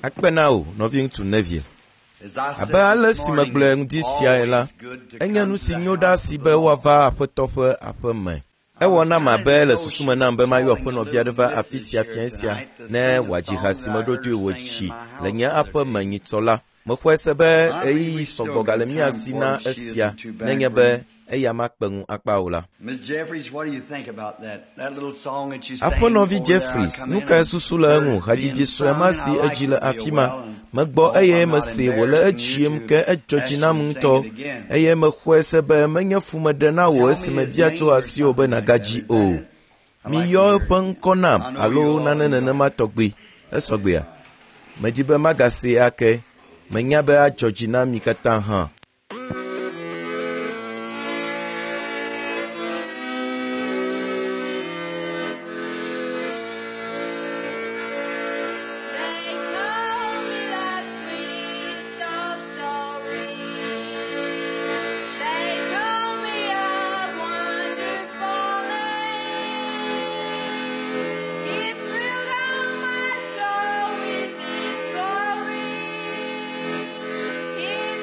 Akpe na wò, nɔviŋutsu Neville. Abe ale si megblɔe ŋdi siae la, enye nu si nyo ɖa si be woava Aƒetɔ ƒe aƒe me. Ewɔ nam abe le susu me nam be mayɔ aƒenɔvi aɖe va afi sia fiẽ sia ne wòadzi ha si meɖo toe wòtsi le nye aƒe me nyitsɔ la. Mexɔe se be ɣeyiɣi sɔgbɔ gale mía si na esia nenye be eya makpe ŋu akpa o la. Aƒenɔvi Jeffries, nu kae susu le eŋu? Hadzidzi sue ma si edzi le afi ma. Megbɔ eye mesee wòle edziem ke edzɔ dzi nam ŋutɔ eye mexɔe se be menye fu meɖe na wò esi mebia tso asiwò be nàgadzi o. Miyɔ eƒe ŋkɔ nam alo nane nenema tɔgbi. Esɔgbea? Medi be magasee ake. Menya be adzɔ dzi na mi katã hã. They told me the sweetest old story. They told me of wonderful land. It thrilled all my soul with its glory. It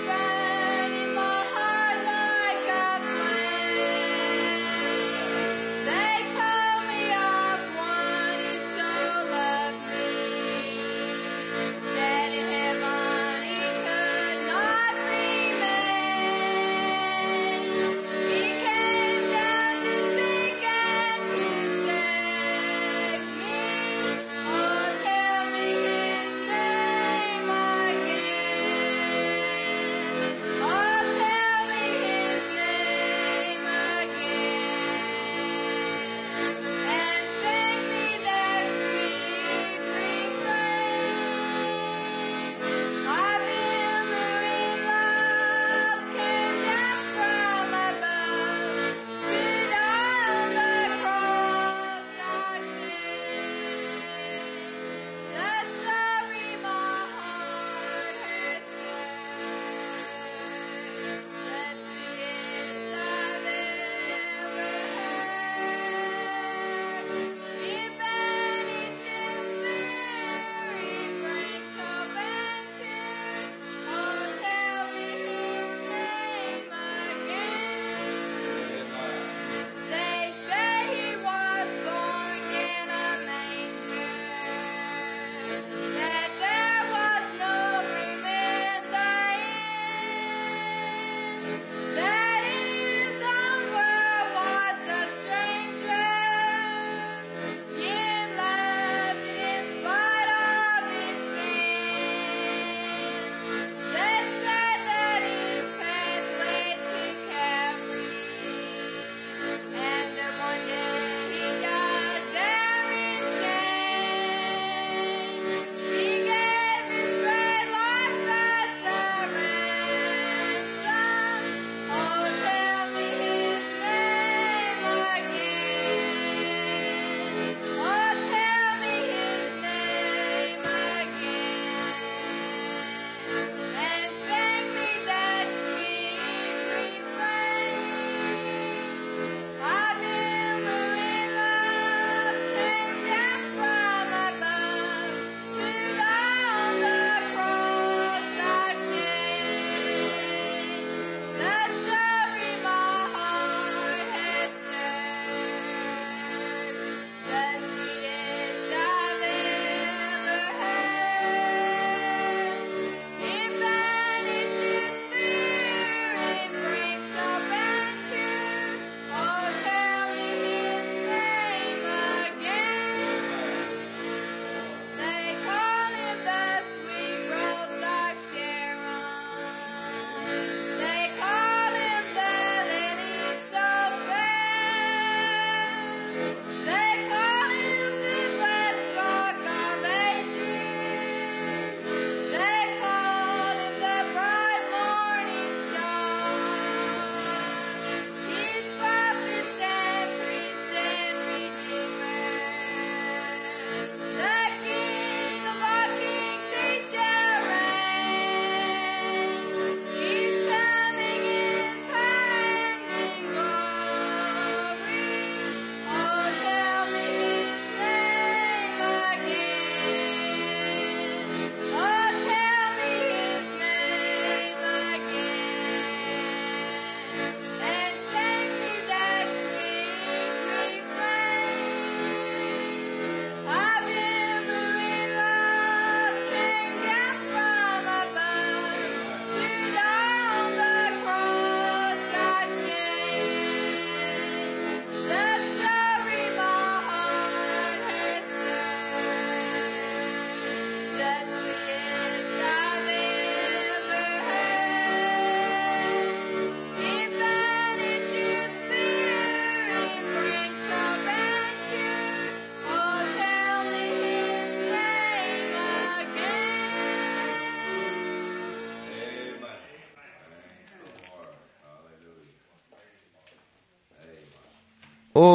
O,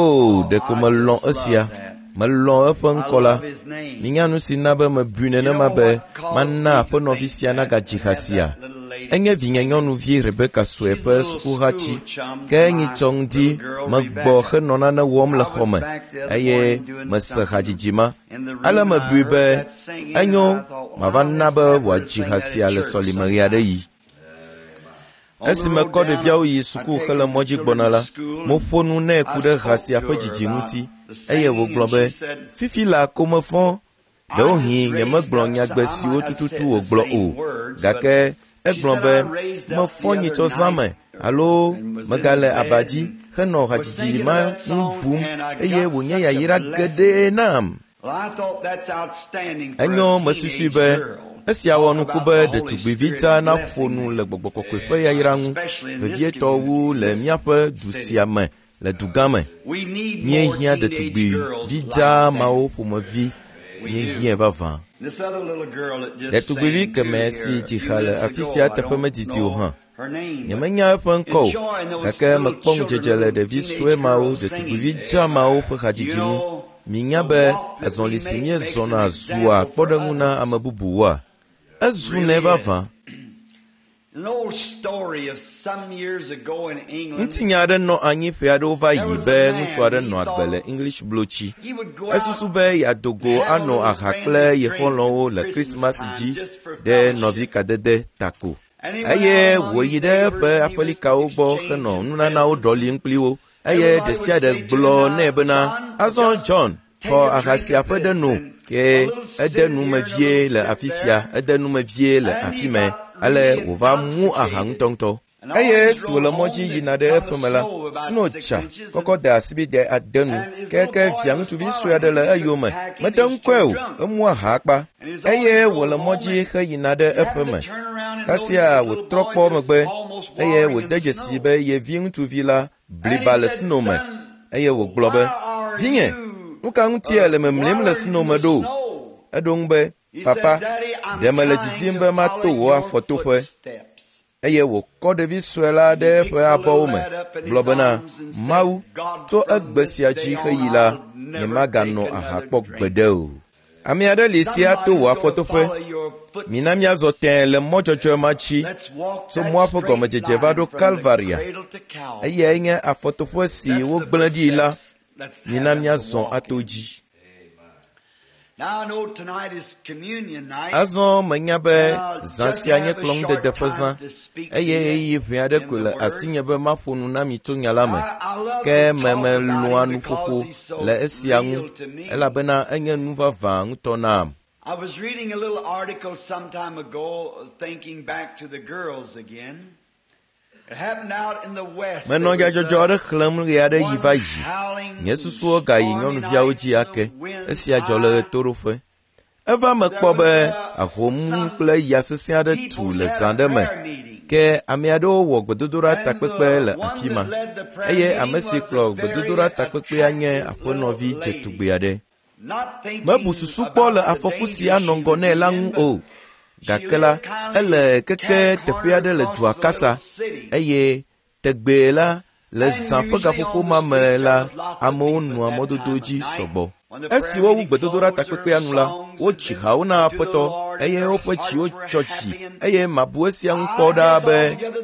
ɖeko melɔ̃ esia. Melɔ̃ eƒe ŋkɔ la. Minya nu si na be mebui nenema be mana aƒenɔvi sia nagadzi ha sia. Enye vinye nyɔnuvi Rebeka sue ƒe sukuhatsi. Ke nyitsɔ ŋdi megbɔ henɔ nane wɔm le xɔ me eye mese hadzidzi ma. Ale mebui be enyo mava na be wòadzi ha sia le sɔlime ɣe aɖe ɣi. Esi mekɔ ɖeviawo yi suku hele mɔ dzi gbɔna la, meƒo nu nɛ ku ɖe ha sia ƒe dzidzi ŋuti eye wògblɔ be, “Fifi laa ko mefɔ. Ɖewohĩ nyemegblɔ nyagbe siwo tututu wògblɔ o, gake egblɔ be mefɔ nyitsɔ zã me alo megale aba dzi henɔ hadzidzi ma ŋu bum eye wònye yayra geɖe nam.” Enyo mesusui be esia wɔ nuku be ɖetugbivi dzaa naƒo nu le gbɔgbɔ kɔkɔe ƒe yayra ŋu, vevietɔ wu le míaƒe du sia me le dugã me. Míehiã ɖetugbivi dzaa mawo ƒomevi, míehiãe vavã. Ɖetugbivi kemɛ si dzi ha le afi sia teƒe medidi o hã. Nyemenya eƒe ŋkɔ o, gake mekpɔ ŋudzedze le ɖevi sue mawo, ɖetugbivi dzaa mawo ƒe hadzidzi ŋu. Minya be azɔli si míezɔna zua kpɔɖeŋu na ame bubuwoa? Ezunɛ vavã. Ŋutinya aɖe nɔ anyi ƒe aɖewo va yi be ŋutsu aɖe nɔ agbe le English blotsi. Esusu be yeado go ano aha kple ye xɔlɔ̃wo le Krismas dzi ɖe nɔvikadede ta ko. Eye wòyi ɖe eƒe aƒelikawo gbɔ henɔ nunanawo ɖɔlim kpli wo. Eye ɖe sia ɖe gblɔ nɛ bena, “Azɔ John, xɔ aha sia ƒe ɖe no.” Ke ede nu me vie le afi sia, ede nu me vie le afi mɛ. Ale wòva mu aha ŋutɔŋutɔ. Eye esi wòle mɔ dzi yina ɖe eƒe me la, sno dza kɔkɔ de asibide ade nu. Keke via ŋutsuvi sue aɖe le eyome. Mete ŋu kɔe o, emu aha akpa. Eye wòle mɔ dzi heyina ɖe eƒe me. Kasia wòtrɔ kpɔ megbe eye wòde dzesi be ye vi ŋutsuvi la bliba le sno me. Eye wògblɔ be, “Vinye, nu ka ŋutie le memlim le sno me ɖo?” Eɖo ŋu be, “Papa, ɖe mele didim be mato wò afɔtoƒe.” Eye wòkɔ ɖevi sue la ɖe eƒe abɔwo me, gblɔ bena, “Mawu, tso egbe sia dzi heyi la, nyemaganɔ aha kpɔ gbeɖe o.” Ame aɖe li si ato wò afɔtoƒe. Mina míazɔ tẽe le mɔ dzɔdzɔe ma dzi tso mɔa ƒe gɔmedzedze va ɖo Kalvaria. Eyae nye afɔtoƒe si wogblẽ ɖi la. Mina míazɔ ato dzi. Azɔ menya be zã sia nye kplɔ̃ŋudede ƒe zã eye ɣeyiɣi ʋɛ aɖe koe le asinye be maƒo nu na mi tso nya la me. Ke memelɔ̃a nuƒoƒo le esia ŋu elabena enye nu vavã ŋutɔ nam. I was reading a little article some time ago, thinking back to the girls again. It happened out in the West. Menɔ nyadzɔdzɔ aɖe xlẽm ɣe aɖe ɣi va yi. Nye susuwo gayi nyɔnuviawo dzi ake. Esia dzɔ le ɣetoɖoƒe. Eva me kpɔ be ahom kple ya sesẽ aɖe tu le zã ɖe me. Ke ame aɖewo wɔ gbedodoɖa takpekpe le afi ma. Eye ame si kplɔ gbedodoɖa takpekpea nye aƒenɔvi dzetugbe aɖe. Mebu susu kpɔ le afɔku si anɔ ŋgɔ nɛ la ŋu o. Gake la, ele keke teƒe aɖe le dua kasa eye tegbee la, le zã ƒe gaƒoƒo ma me la, amewo nɔa mɔdodo dzi sɔgbɔ. Esi wowu gbedodoɖa takpekpea nu la, wodzi hawo na Aƒetɔ eye woƒe dziwo tsɔ dzi eye mabu esia ŋu kpɔ ɖaa be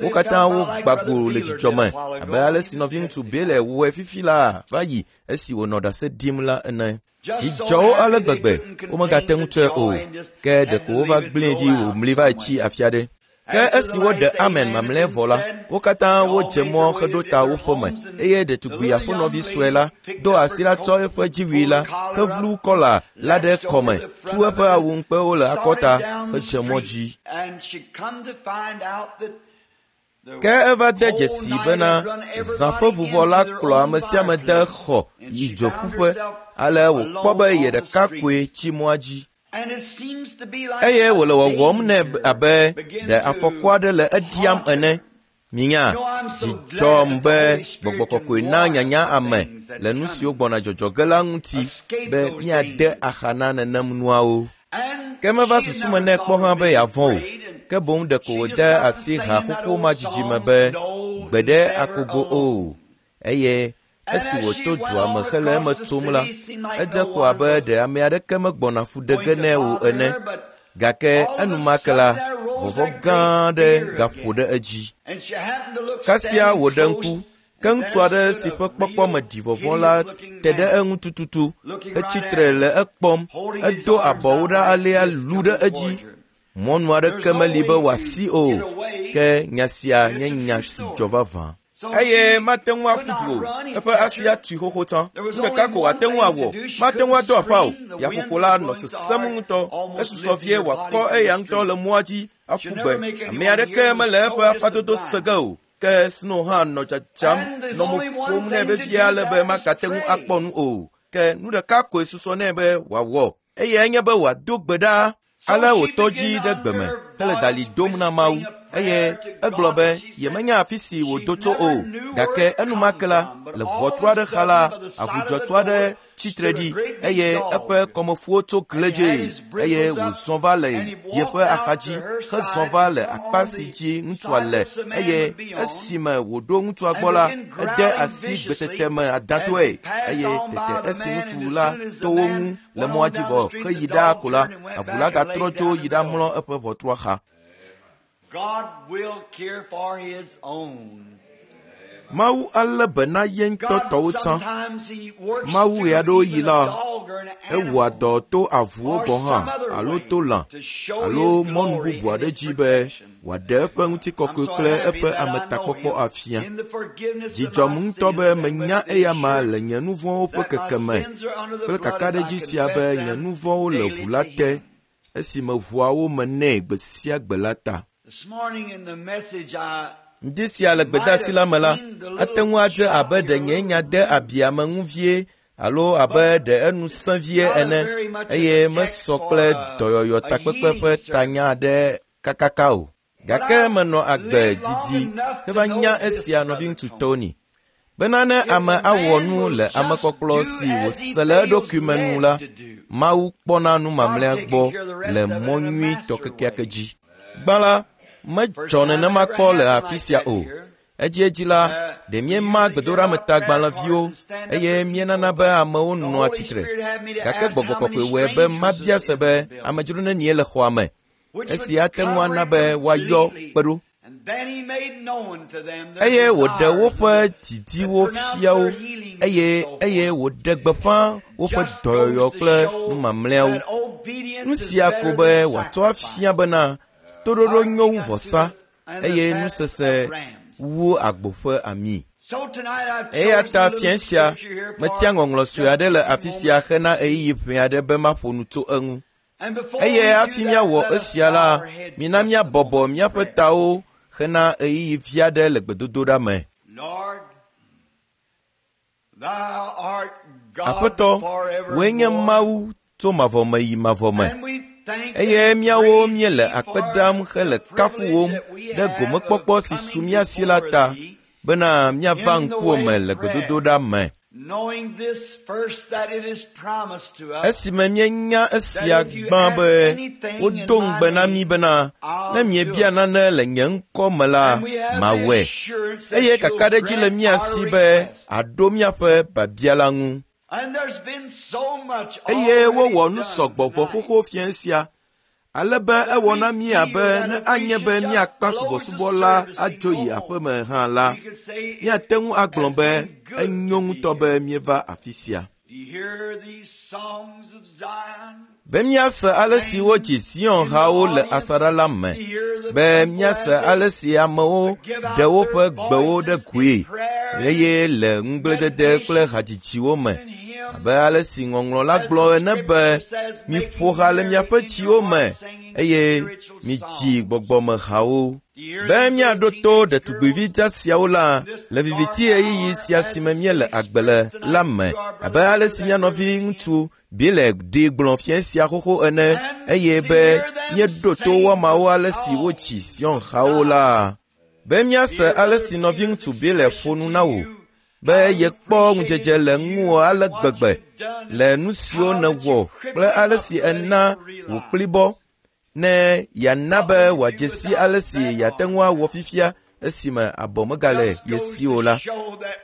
wo katã wogba go le dzidzɔ me abe ale si nɔviŋutsu Bele wɔe fifi laa va yi esi wònɔ ɖase ɖim la ene. Dzi dzɔ wo ale gbegbe womegate ŋu tsɔe o, ke ɖeko wova gblẽe ɖi wòmli va tsi afi aɖe. Ke esi woɖe amen mamlɛ vɔ la, wo katã wodze mɔ heɖo ta wo ƒeme eye ɖetugbi aƒenɔvi sue la do asi la tsɔ eƒe dziwui la hevlu kɔla la ɖe kɔme, tu eƒe awu ŋukpewo le akɔta hedze mɔ dzi. Ke eva de dzesii bena zã ƒe vuvɔ la kplɔ ame sia ame de xɔ yi dzoƒuƒe ale wòkpɔ be ye ɖeka koe tsi mɔa dzi. Eye wòle wɔwɔm nɛ abe ɖe afɔku aɖe le eɖiam ene. Minya, dzi dzɔm be gbɔgbɔ kɔkɔe na nyanya ame le nu siwo gbɔna dzɔdzɔ ge la ŋuti be míade axa na nenem nuawo. Ke meva susu me nɛ kpɔ hã be yeavɔ̃ o, ke boŋ ɖeko wòde asi ha xoxo ma dzidzi me be, “Gbeɖe akogo o,” eye Esi wòto dua me hele eme tsom la, edze ko abe ɖe ame aɖeke megbɔna fu ɖe ge nɛ o ene. Gake enumake la, vɔvɔ̃ gã aɖe gaƒo ɖe edzi. Kasia wòɖe ŋku, ke ŋutsu aɖe si ƒe kpɔkpɔ me ɖi vɔvɔ̃ la te ɖe eŋu tututu, hetsi tre le ekpɔm, edo abɔwo ɖa alea lu ɖe edzi. Mɔnu aɖeke meli be wòasi o, ke nya sia nye nya si dzɔ vavã. Eye mate ŋu aƒu du o, eƒe asi atui xoxo tsã. Nu ɖeka ko wòate ŋu awɔ, mate ŋu ado aƒa o. Yaƒoƒo la nɔ sesẽm ŋutɔ, esusɔ vie wòakɔ eya ŋutɔ le mɔa dzi aƒu gbe. Ame aɖeke mele eƒe aƒadodo se ge o. Ke Snow hã nɔ dzadzam nɔ mo ƒom nɛ vevie ale be magate ŋu akpɔ nu o. Ke nu ɖeka koe susɔ nɛ be wòawɔ, eyae nye be wòado gbe ɖa. Ale wòtɔ dzi ɖe gbe me hele dalĩ dom na Mawu eye egblɔ be yemenya afi si wòdo tso o. Gake enumake la, le ʋɔtru aɖe xa la, avu dzɔtsu aɖe tsitre ɖi eye eƒe kɔmefuwo tso kledzee eye wòzɔ va le yeƒe axadzi hezɔ va le akpa si dzi ŋutsua le eye esime wòɖo ŋutsua gbɔ la, ede asi gbetete me adãtɔe eye tete esi ŋutsu la to wo ŋu le mɔa dzi vɔ heyi ɖaa ko la, avu la gatrɔ tso yi ɖamlɔ eƒe ʋɔtrua xa. God will care for his own. Mawu alé be na ye ŋutɔ God tɔwo tsã. sometimes he works Mawu through ɣeaɖewoɣi even la, a dog or an ewɔa animal dɔ to avuwo or gɔ̃ hã some other alo way to lã to show alo his mɔnu glory bubu and aɖe his dzi be protection. wòaɖe eƒe ŋutikɔkɔe I'm so kple happy eƒe that I know ametakpɔkpɔ him afia. in the forgiveness of Dzidzɔm my ŋutɔ sins be and menya with the eyama le assurance nye nu vɔ̃wo ƒe that my kekeme sins are under the kple blood as I kakaɖedzi sia be confess nye them nu vɔ̃wo le daily ʋu la to te him. esime ʋua wo me nɛ gbe sia gbe la ta. This morning in the message I Ŋdi sia le might gbedeasi have la me la, seen the ate little ŋu adze chop abe here, ɖe a nye little nya de abi ame ŋu vie alo abe but ɖe enu sẽ vie not a ene very much of eye a text mesɔ for kple dɔyɔyɔ a takpekpe healing ƒe service. tanya aɖe kakaka o. But Gake I menɔ agbe lived long didi enough to heva know nya this, esia Brother nɔviŋutsu Tony. Tony. Bena ne If ame a awɔ man nu will le just amekpɔkplɔ do si as he wòse le feels eɖokui me nu led la, to do, Mawu kpɔna nu God mamlɛa taking gbɔ care of the rest le of it mɔ in a nyuitɔ master kekeake way. dzi. Gbã la, First medzɔ time nenema ever kpɔ le happened afi like sia that o. here. Edziedzi la, ɖe We míema usually give out prayer gbedoɖametagbalẽviwo cards and stand up eye for míenana people, be but amewo the nɔa Holy tsitre. Spirit had me to Gake ask gbɔgbɔ how many kɔkɔe wɔe be strangers was mabia se in be the building, amedzro nenie le xɔa me. which Esi would ate ŋu cover ana it be woayɔ completely. kpe ɖo. And then he made known to them their Eye wòɖe desires and woƒe would didiwo pronounce fia wo their healings and eye so eye forth. wòɖe gbeƒã woƒe Just dɔyɔyɔ goes to kple show nu mamlɛawo. that Nu obedience is sia ko better be than wòatsɔ afia sacrifice, bena toɖoɖo nyo wu hearkening unto vɔsa the and the eye fat nusese of rams. wu agbo ƒe ami. So tonight I've Eya chosen ta a little fiẽ sia, scripture here metia for ŋɔŋlɔ sue just aɖe a le few afi sia moments. hena ɣeyiɣi ʋɛ aɖe be maƒo nu tso eŋu. And before Eye we do hafi that, míawɔ let us esia bow la, our heads mina just a míabɔbɔ moment in míaƒe prayer. tawo hena ɣeyiɣi vi aɖe le gbedodoɖa me. Lord, thou art God Aƒetɔ, wòe nye forevermore, Mawu tso mavɔ me yi mavɔ me. and we thank Eye and míawo praise míele thee akpe for dam hele the privilege kafuwòm that we ɖe have of gomekpɔkpɔ si su coming mía si la before ta thee bena míava in the ŋkuwò way me of le prayer, gbedodoɖa me. knowing this first that it is promised to us Esime míenya that esia if you gbã ask be anything in wodo my ŋugbe na mí name, bena ne I'll do miebia it. nane le nye ŋkɔ me la, And we have the mawɔe. assurance that Eye you'll kakaɖedzi le grant mía our si be request. àɖo míaƒe biabia la ŋu. And there's been so much Eye already wowɔ nu done sɔgbɔ vɔ tonight xoxo fiẽ sia ale be that ewɔ we na mí feel abe that ne if we anye should be just míakpa close the subɔsubɔ la service and adzo go yi home, aƒeme hã la, we could say it míate ŋu agblɔ has be been good enyo to be ŋutɔ be here. míeva afi sia. Do you hear these songs of Zion Be míase ale si sang wodzi Zion in the hawo le audience? asaɖa la me, To hear the be people míase as they ale si amewo give ɖe out their woƒe gbewo ɖe voices in goe prayer and eye le ŋugbledede kple meditation hadzidziwo me. and hymns, Abe ale si ŋɔŋlɔ la as gblɔ the ene be, scripture says, miƒo making ha le merry miaƒe in your tsiwo me heart, singing eye spiritual midzi songs. gbɔgbɔmehawo. Do you hear Be these míaɖo little to teenage ɖetugbivi girls dza siawo la in this le dark viviti ɣeyiɣi hour sia as si me it's míele been agbe le expressed la tonight me through our abe brother ale Peter si that mía we're nɔvi living in? ŋutsu Bile ɖi gblɔ fiẽ sia xoxo ene And eye to be hear them míeɖo to sing woamawo the ale si wotsi songs Zion of hawo Zion. la. Be To míase hear ale Brother si nɔviŋutsu Peter's Bile ƒo expression nu to na wò you, be how he yekpɔ ŋudzedze appreciated le you ŋuwò ale and what gbegbe you've done le and nu siwo how that nèwɔ you kple crippled him ale up si to let ena him wò realize. kplibɔ ne yeana What be would you do wòadze si without ale si that yeate arm ŋu awɔ now? fifia esime abɔ megale ye si o la.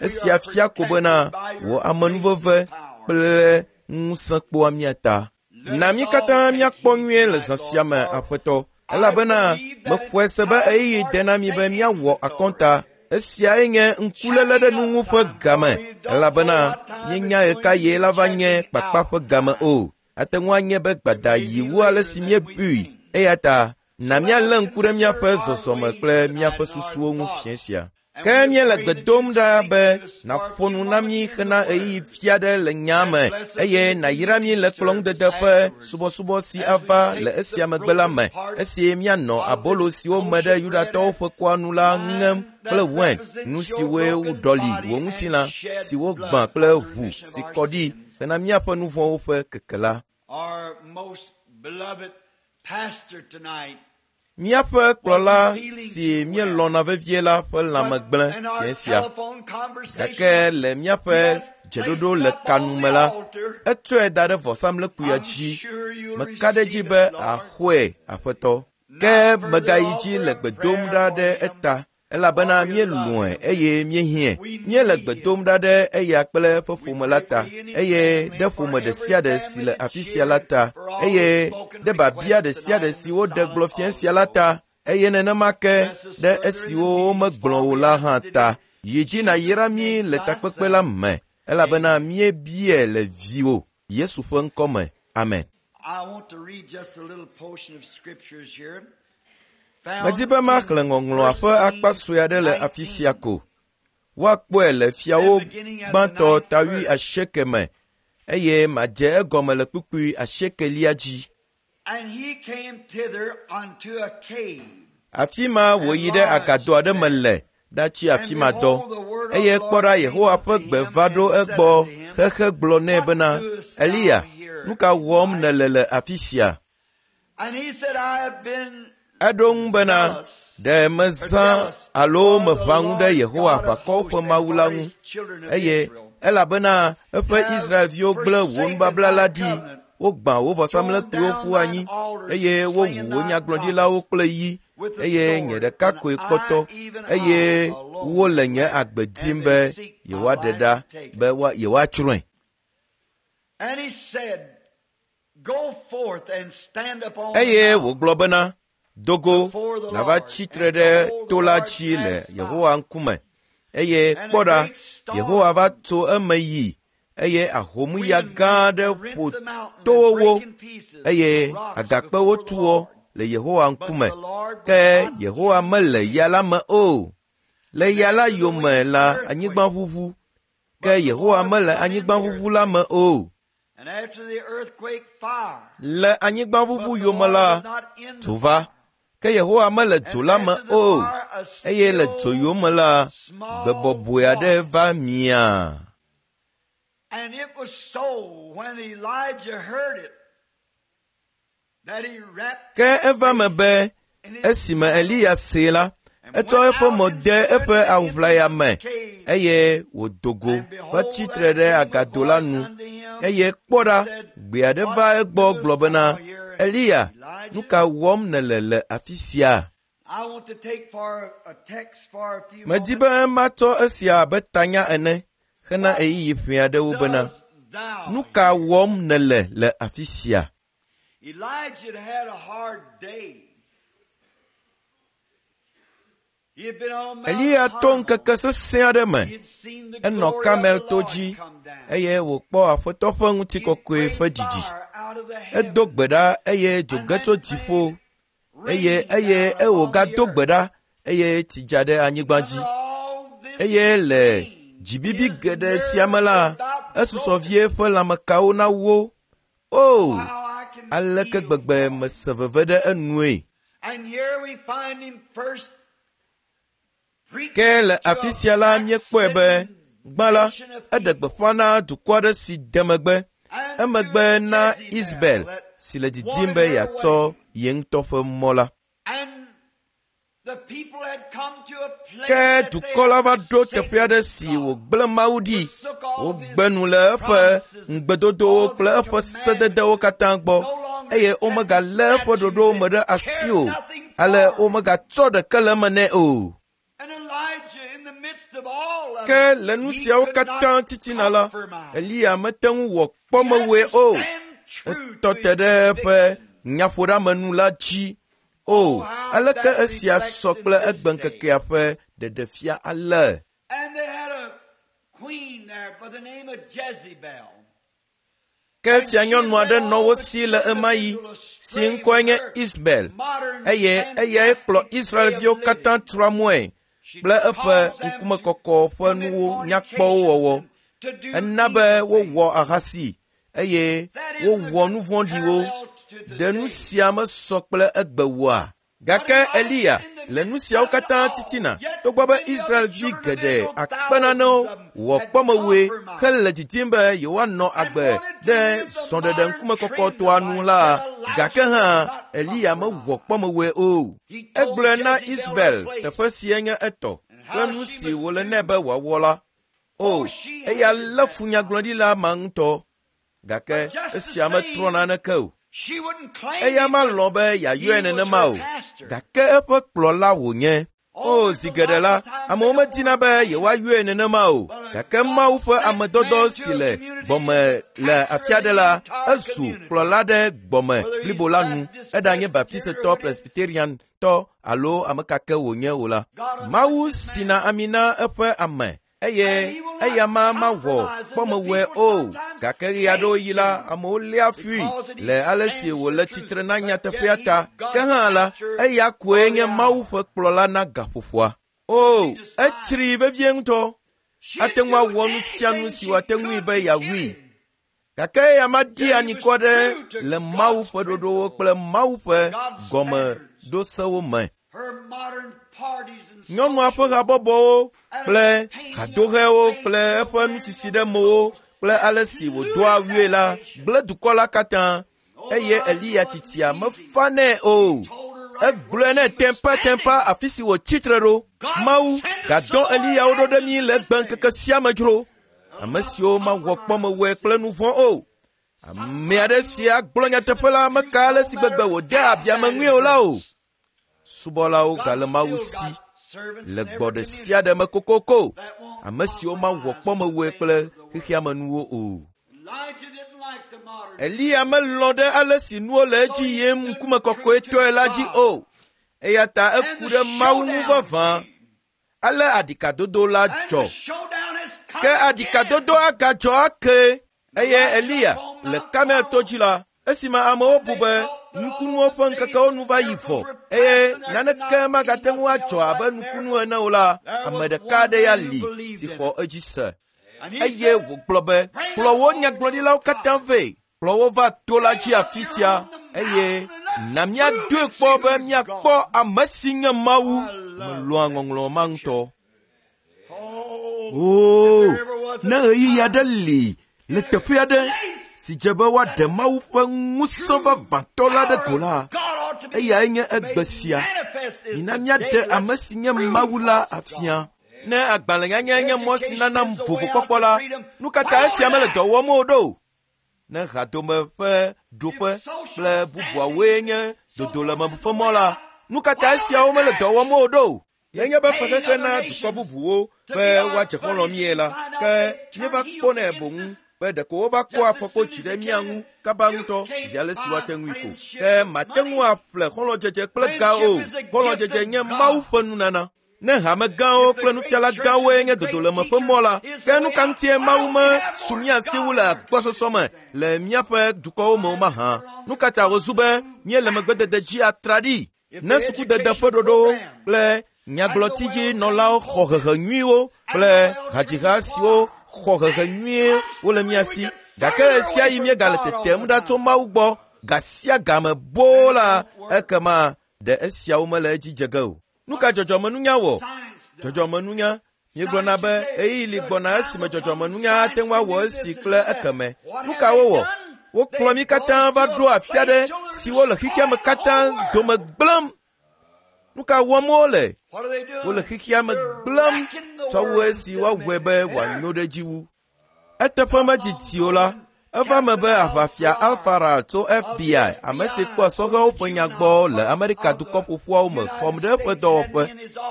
Esia fia ko bena wò amenuveve kple ŋusẽ kpɔa mía ta. Na mí katã míakpɔ nyuie le zã sia me, Aƒetɔ, elabena mexɔe se be ɣeyiɣi de na mí be míawɔ akɔnta. Esiae nye ŋkuléle ɖe nu ŋu ƒe game, elabena míenya ɣekaɣie la va nye kpakpa ƒe game o. Ate ŋu anye be gbada yi wu ale si míebui. Eya ta na míalé ŋku ɖe míaƒe zɔzɔme kple míaƒe susuwo ŋu fiẽ sia. Ke míele gbe dom ɖa be nàƒo nu na mí hena ɣeyiɣi vi aɖe le nyaa me eye nàyra mí le kplɔ̃ŋudede ƒe subɔsubɔ si ava le esia megbe la me esi míanɔ abolo siwo me ɖe Yudatɔwo ƒe kɔa nu la ŋem kple wain, nu siwoe woɖɔli wò ŋutilã si wogbã kple ʋu si kɔ ɖi hena míaƒe nu vɔ̃wo ƒe keke la. Míaƒe kplɔla si míelɔ̃na vevie la ƒe lãme gblẽ fiẽ sia. Gake le míaƒe dzeɖoɖo le kanu me la, etsɔe da ɖe vɔsamlekpuia dzi. Meka ɖe edzi be àxɔe, Aƒetɔ. Ke mègayi dzi le gbe dom ɖa ɖe eta elabena míelɔ̃e eye míehiãe. Míele gbe dom ɖa ɖe eya kple eƒe ƒome la ta, eye ɖe ƒome ɖe sia ɖe si le afi sia la ta, eye ɖe biabia ɖe sia ɖe si woɖe gblɔ fiẽ sia la ta, eye nenema ke ɖe esiwo womegblɔ o la hã ta. Yi dzi nàyra mí le takpekpe la me, elabena míebiae le viwò, Yesu ƒe ŋkɔ me. Amen. Medi be maxlẽ ŋɔŋlɔa ƒe akpa sue aɖe le afi sia ko. Woakpɔe le fiawo gbãtɔ ta 80 me eye madze egɔme le kpukpui asiekelia dzi. Afi ma wòyi ɖe agado aɖe me le ɖatsi afi ma dɔ. Eye kpɔ ɖa Yehowa ƒe gbe va ɖo egbɔ xexe gblɔ nɛ bena, Eliya, nu ka wɔm nèle le afi sia? Eɖo ŋu bena, Ɖe mezã alo meʋã ŋu ɖe Yehowa Aʋakɔwo ƒe Mawu la ŋu, eye elabena eƒe Israelviwo gblẽ wò nubabla la ɖi, wogbã wò vɔsamlekpuiwo ƒu anyi, eye wowu wò nyagblɔɖilawo kple yi, eye nye ɖeka koe kpɔtɔ, eye wole nye agbe dim be yewoaɖe ɖa be yewoatsrɔ̃e. Eye wògblɔ bena, Do go, nàva tsi tre ɖe to la dzi le Yehowa ŋkume. Eye kpɔ ɖa, Yehowa va tso eme yi, eye ahomya gã aɖe ƒo towo wo, eye agakpewo tu wo le Yehowa ŋkume. Ke Yehowa mele ya la me o. Le ya la yome la, anyigba ʋuʋu. Ke Yehowa mele anyigba ʋuʋu la me o. Le anyigbaʋuʋu yome la, dzo va, ke Yehowa mele dzo la me o, eye le dzo yome la, gbe bɔbɔe aɖe va mia. Ke eva me be esime Eliya see la, etsɔ eƒe mo de eƒe awu ʋlaya me eye wòdo go va tsi tre ɖe agado la nu. Eye kpɔ ɖa, gbe aɖe va egbɔ gblɔ bena, Eliya, nu ka wɔm nèle le afi sia? Medi be matsɔ esia abe tanya ene hena ɣeyiɣi ʋɛ aɖewo bena, Nu ka wɔm nèle le afi sia? Eliya to ŋkeke sesẽ aɖe me. Enɔ Karmel to dzi eye wòkpɔ Aƒetɔ ƒe ŋutikɔkɔe ƒe ɖiɖi. Edo gbe ɖa eye dzo ge tso dziƒo eye eye wògado gbe ɖa eye tsi dza ɖe anyigba dzi. Eye le dzibibi geɖe sia me la, esusɔ vie eƒe lãmekawo nawó. O, aleke gbegbe mese veve ɖe enue! Ke le afi sia la míekpɔe be gbã la, eɖe gbeƒã na dukɔ aɖe si de megbe, emegbe na Isabel si le didim be yeatsɔ ye ŋutɔ ƒe mɔ la. Ke dukɔ la va ɖo teƒe aɖe si wògblẽ Mawu ɖi. Wogbe nu le eƒe ŋugbedodowo kple eƒe sededewo katã gbɔ eye womegalé eƒe ɖoɖowo me ɖe asi o. Ale womegatsɔ ɖeke le eme nɛ o. Ke le nu siawo katã titina la, Eliya mete ŋu wɔ kpɔmewɔe o. Etɔ te ɖe eƒe nyaƒoɖeamenu la dzi. O, aleke esia sɔ kple egbeŋkekea ƒe ɖeɖefia ale? Ke fianyɔnu aɖe nɔ wo si le ɣemaɣi si ŋkɔe nye Isabel eye eyae kplɔ Israelviwo katã tra mɔe kple eƒe ŋkumekɔkɔ ƒe nuwo nyakpɔwo wɔwɔ. Ena be wowɔ ahasi eye wowɔ nu vɔ̃ɖiwo. Ɖe nu sia mesɔ kple egbe oa? Gake Eliya le nu siawo katã titina togbɔ be Israelvi geɖe akpe nanewo wɔ kpɔmewɔe hele didim be yewoanɔ agbe ɖe srɔ̃ɖeɖe ŋkumekɔkɔtɔa nu la, gake hã Eliya mewɔ kpɔmewɔe o. Egblɔe na Isabel teƒe sie nye etɔ kple nu si wòle nɛ be wòawɔ la. O, eya lé fu nyagblɔɖila ma ŋutɔ. Gake esia metrɔ naneke o. Eya malɔ̃ be yeayɔe nenema o, gake eƒe kplɔla wònye. O, zi geɖe la, amewo medina be yewoayɔe nenema o, gake Mawu ƒe amedɔdɔ si le gbɔme le afi aɖe la, ezu kplɔla ɖe gbɔme blibo la nu, eɖanye Baptistetɔ, Presbyteriantɔ alo ame ka ke wònye o la. Mawu sina ami na eƒe ame eye eya ma mawɔ kpɔmewɔe o. Gake ɣe aɖewo yi la, amewo léa fui le ale si wòle tsitre na nyateƒea ta. Ke hã la, eya koe nye Mawu ƒe kplɔla na gaƒoƒoa. O, etsrii vevie ŋutɔ. Ate ŋu awɔ nu sia nu si wòate ŋui be yeawui. Gake eya maɖi anyikɔ ɖe le Mawu ƒe ɖoɖowo kple Mawu ƒe gɔmeɖosewo me. Nyɔnua ƒe habɔbɔwo kple hadohewo kple eƒe nusisi ɖe mowo kple ale si wòdoa awue la gblẽ dukɔ la katã eye Eliya tsitsia mefa nɛ o. Egblɔe nɛ tɛmpatɛmpa afi si wòtsi tre ɖo. Mawu gadɔ Eliyawo ɖo ɖe mí le egbeŋkeke sia me dzro. Ame siwo mawɔ kpɔmewɔe kple nu vɔ̃ o. Ame aɖe si agblɔ nyateƒe la meka ale si gbegbe wòde abi ame ŋui o la o. Subɔlawo gale Mawu si le gbɔ ɖe sia ɖe me kokoko. Ame siwo mawɔ kpɔmewɔe kple xexeamenuwo o. Eliya melɔ̃ ɖe ale si nuwo le edzi yim ŋkumekɔkɔetɔe la dzi o. Eya ta eku ɖe Mawu ŋu vavã. Ale aɖikadodo la dzɔ. Ke aɖikadodo agadzɔ ake. Eye Eliya le Karmel to dzi la, esime amewo bu be nukunuwo ƒe ŋkekewo nu va yi vɔ eye naneke magate ŋu adzɔ abe nukunu ene o la, ame ɖeka aɖe ya li si xɔ edzi se. Eye wògblɔ be, kplɔ wò nyagblɔɖilawo katã vɛ, kplɔ wo va to la dzi afi sia eye na míadoe kpɔ be míakpɔ ame si nye Mawu. Melɔ̃a ŋɔŋlɔ ma ŋutɔ. Oo, ne ɣeyiɣi aɖe li le teƒe aɖe si dze be woaɖe Mawu ƒe ŋusẽ vavãtɔ la ɖe go la, eyae nye egbe sia. Mina míaɖe ame si nye Mawu la afia. Ne agbalẽnyanya nye mɔ si nana vovokpɔkpɔ la, nu ka ta esia mele dɔ wɔm o ɖo? Ne hadome ƒe ɖoƒe kple bubuawoe nye dodoleme ƒe mɔ la, nu ka ta esiawo mele dɔ wɔm o ɖo? Nenye be fexexe na dukɔ bubuwo be woadze xɔlɔ̃ mie la, ke míeva kpɔnɛ boŋ be ɖeko wova kɔa afɔkpodzi ɖe mía ŋu kaba ŋutɔ zi ale si woate ŋui ko. Ke mate ŋu aƒle xɔlɔ̃dzedze kple ga o. Xɔlɔ̃dzedze nye Mawu ƒe nunana. Ne hamegãwo kple nufiala gãwoe nye dodoleme ƒe mɔ la, ke nu ka ŋutie Mawu mesu mía si wu le agbɔsɔsɔ me le míaƒe dukɔwo me o mahã? Nu ka ta wòzu be míele megbedede dzi atraɖii? Ne sukudede ƒe ɖoɖowo kple nyagblɔtidzinɔlawo xɔ hehe nyuiwo kple hadziha siwo xɔ hehe nyuie wole mía si, gake ɣesiaɣi míegale tetem ɖa tso Mawu gbɔ ga sia game boo la, ekema ɖe esiawo mele edzi dze ge o. Nu ka dzɔdzɔmenunya wɔ? Dzɔdzɔmenunya Míegblɔna be ɣeyiɣi li gbɔna esime dzɔdzɔmenunya ate ŋu awɔ esi kple ekeme. Nu ka wowɔ? Wokplɔ mí katã va ɖo afi aɖe siwo le xexea me katã dome gblẽm. Nu ka wɔm wole? Wole xexea me gblẽm tsɔ wu esi woawɔe be wòanyo ɖe edzi wu. Eteƒe medidi o la, Eva me be aʋafia Alfaral tso FBI, ame si kpɔa sɔhɛwo ƒe nya gbɔ le Amerika Dukɔ Ƒoƒuawo me xɔm ɖe eƒe dɔwɔƒe.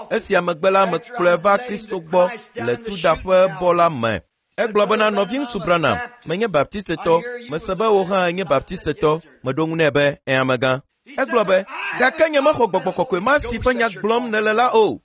Esia megbe la, mekplɔe va Kristo gbɔ le tudaƒe bɔ la me. Egblɔ bena, nɔviŋutsu Branham, menye Baptistetɔ, mese be wò hã ènye Baptistetɔ. Meɖo ŋu nɛ be, ẽ amegã. Egblɔ be, gake nyemexɔ gbɔgbɔ kɔkɔe ma si ƒe nya gblɔm nèle la o.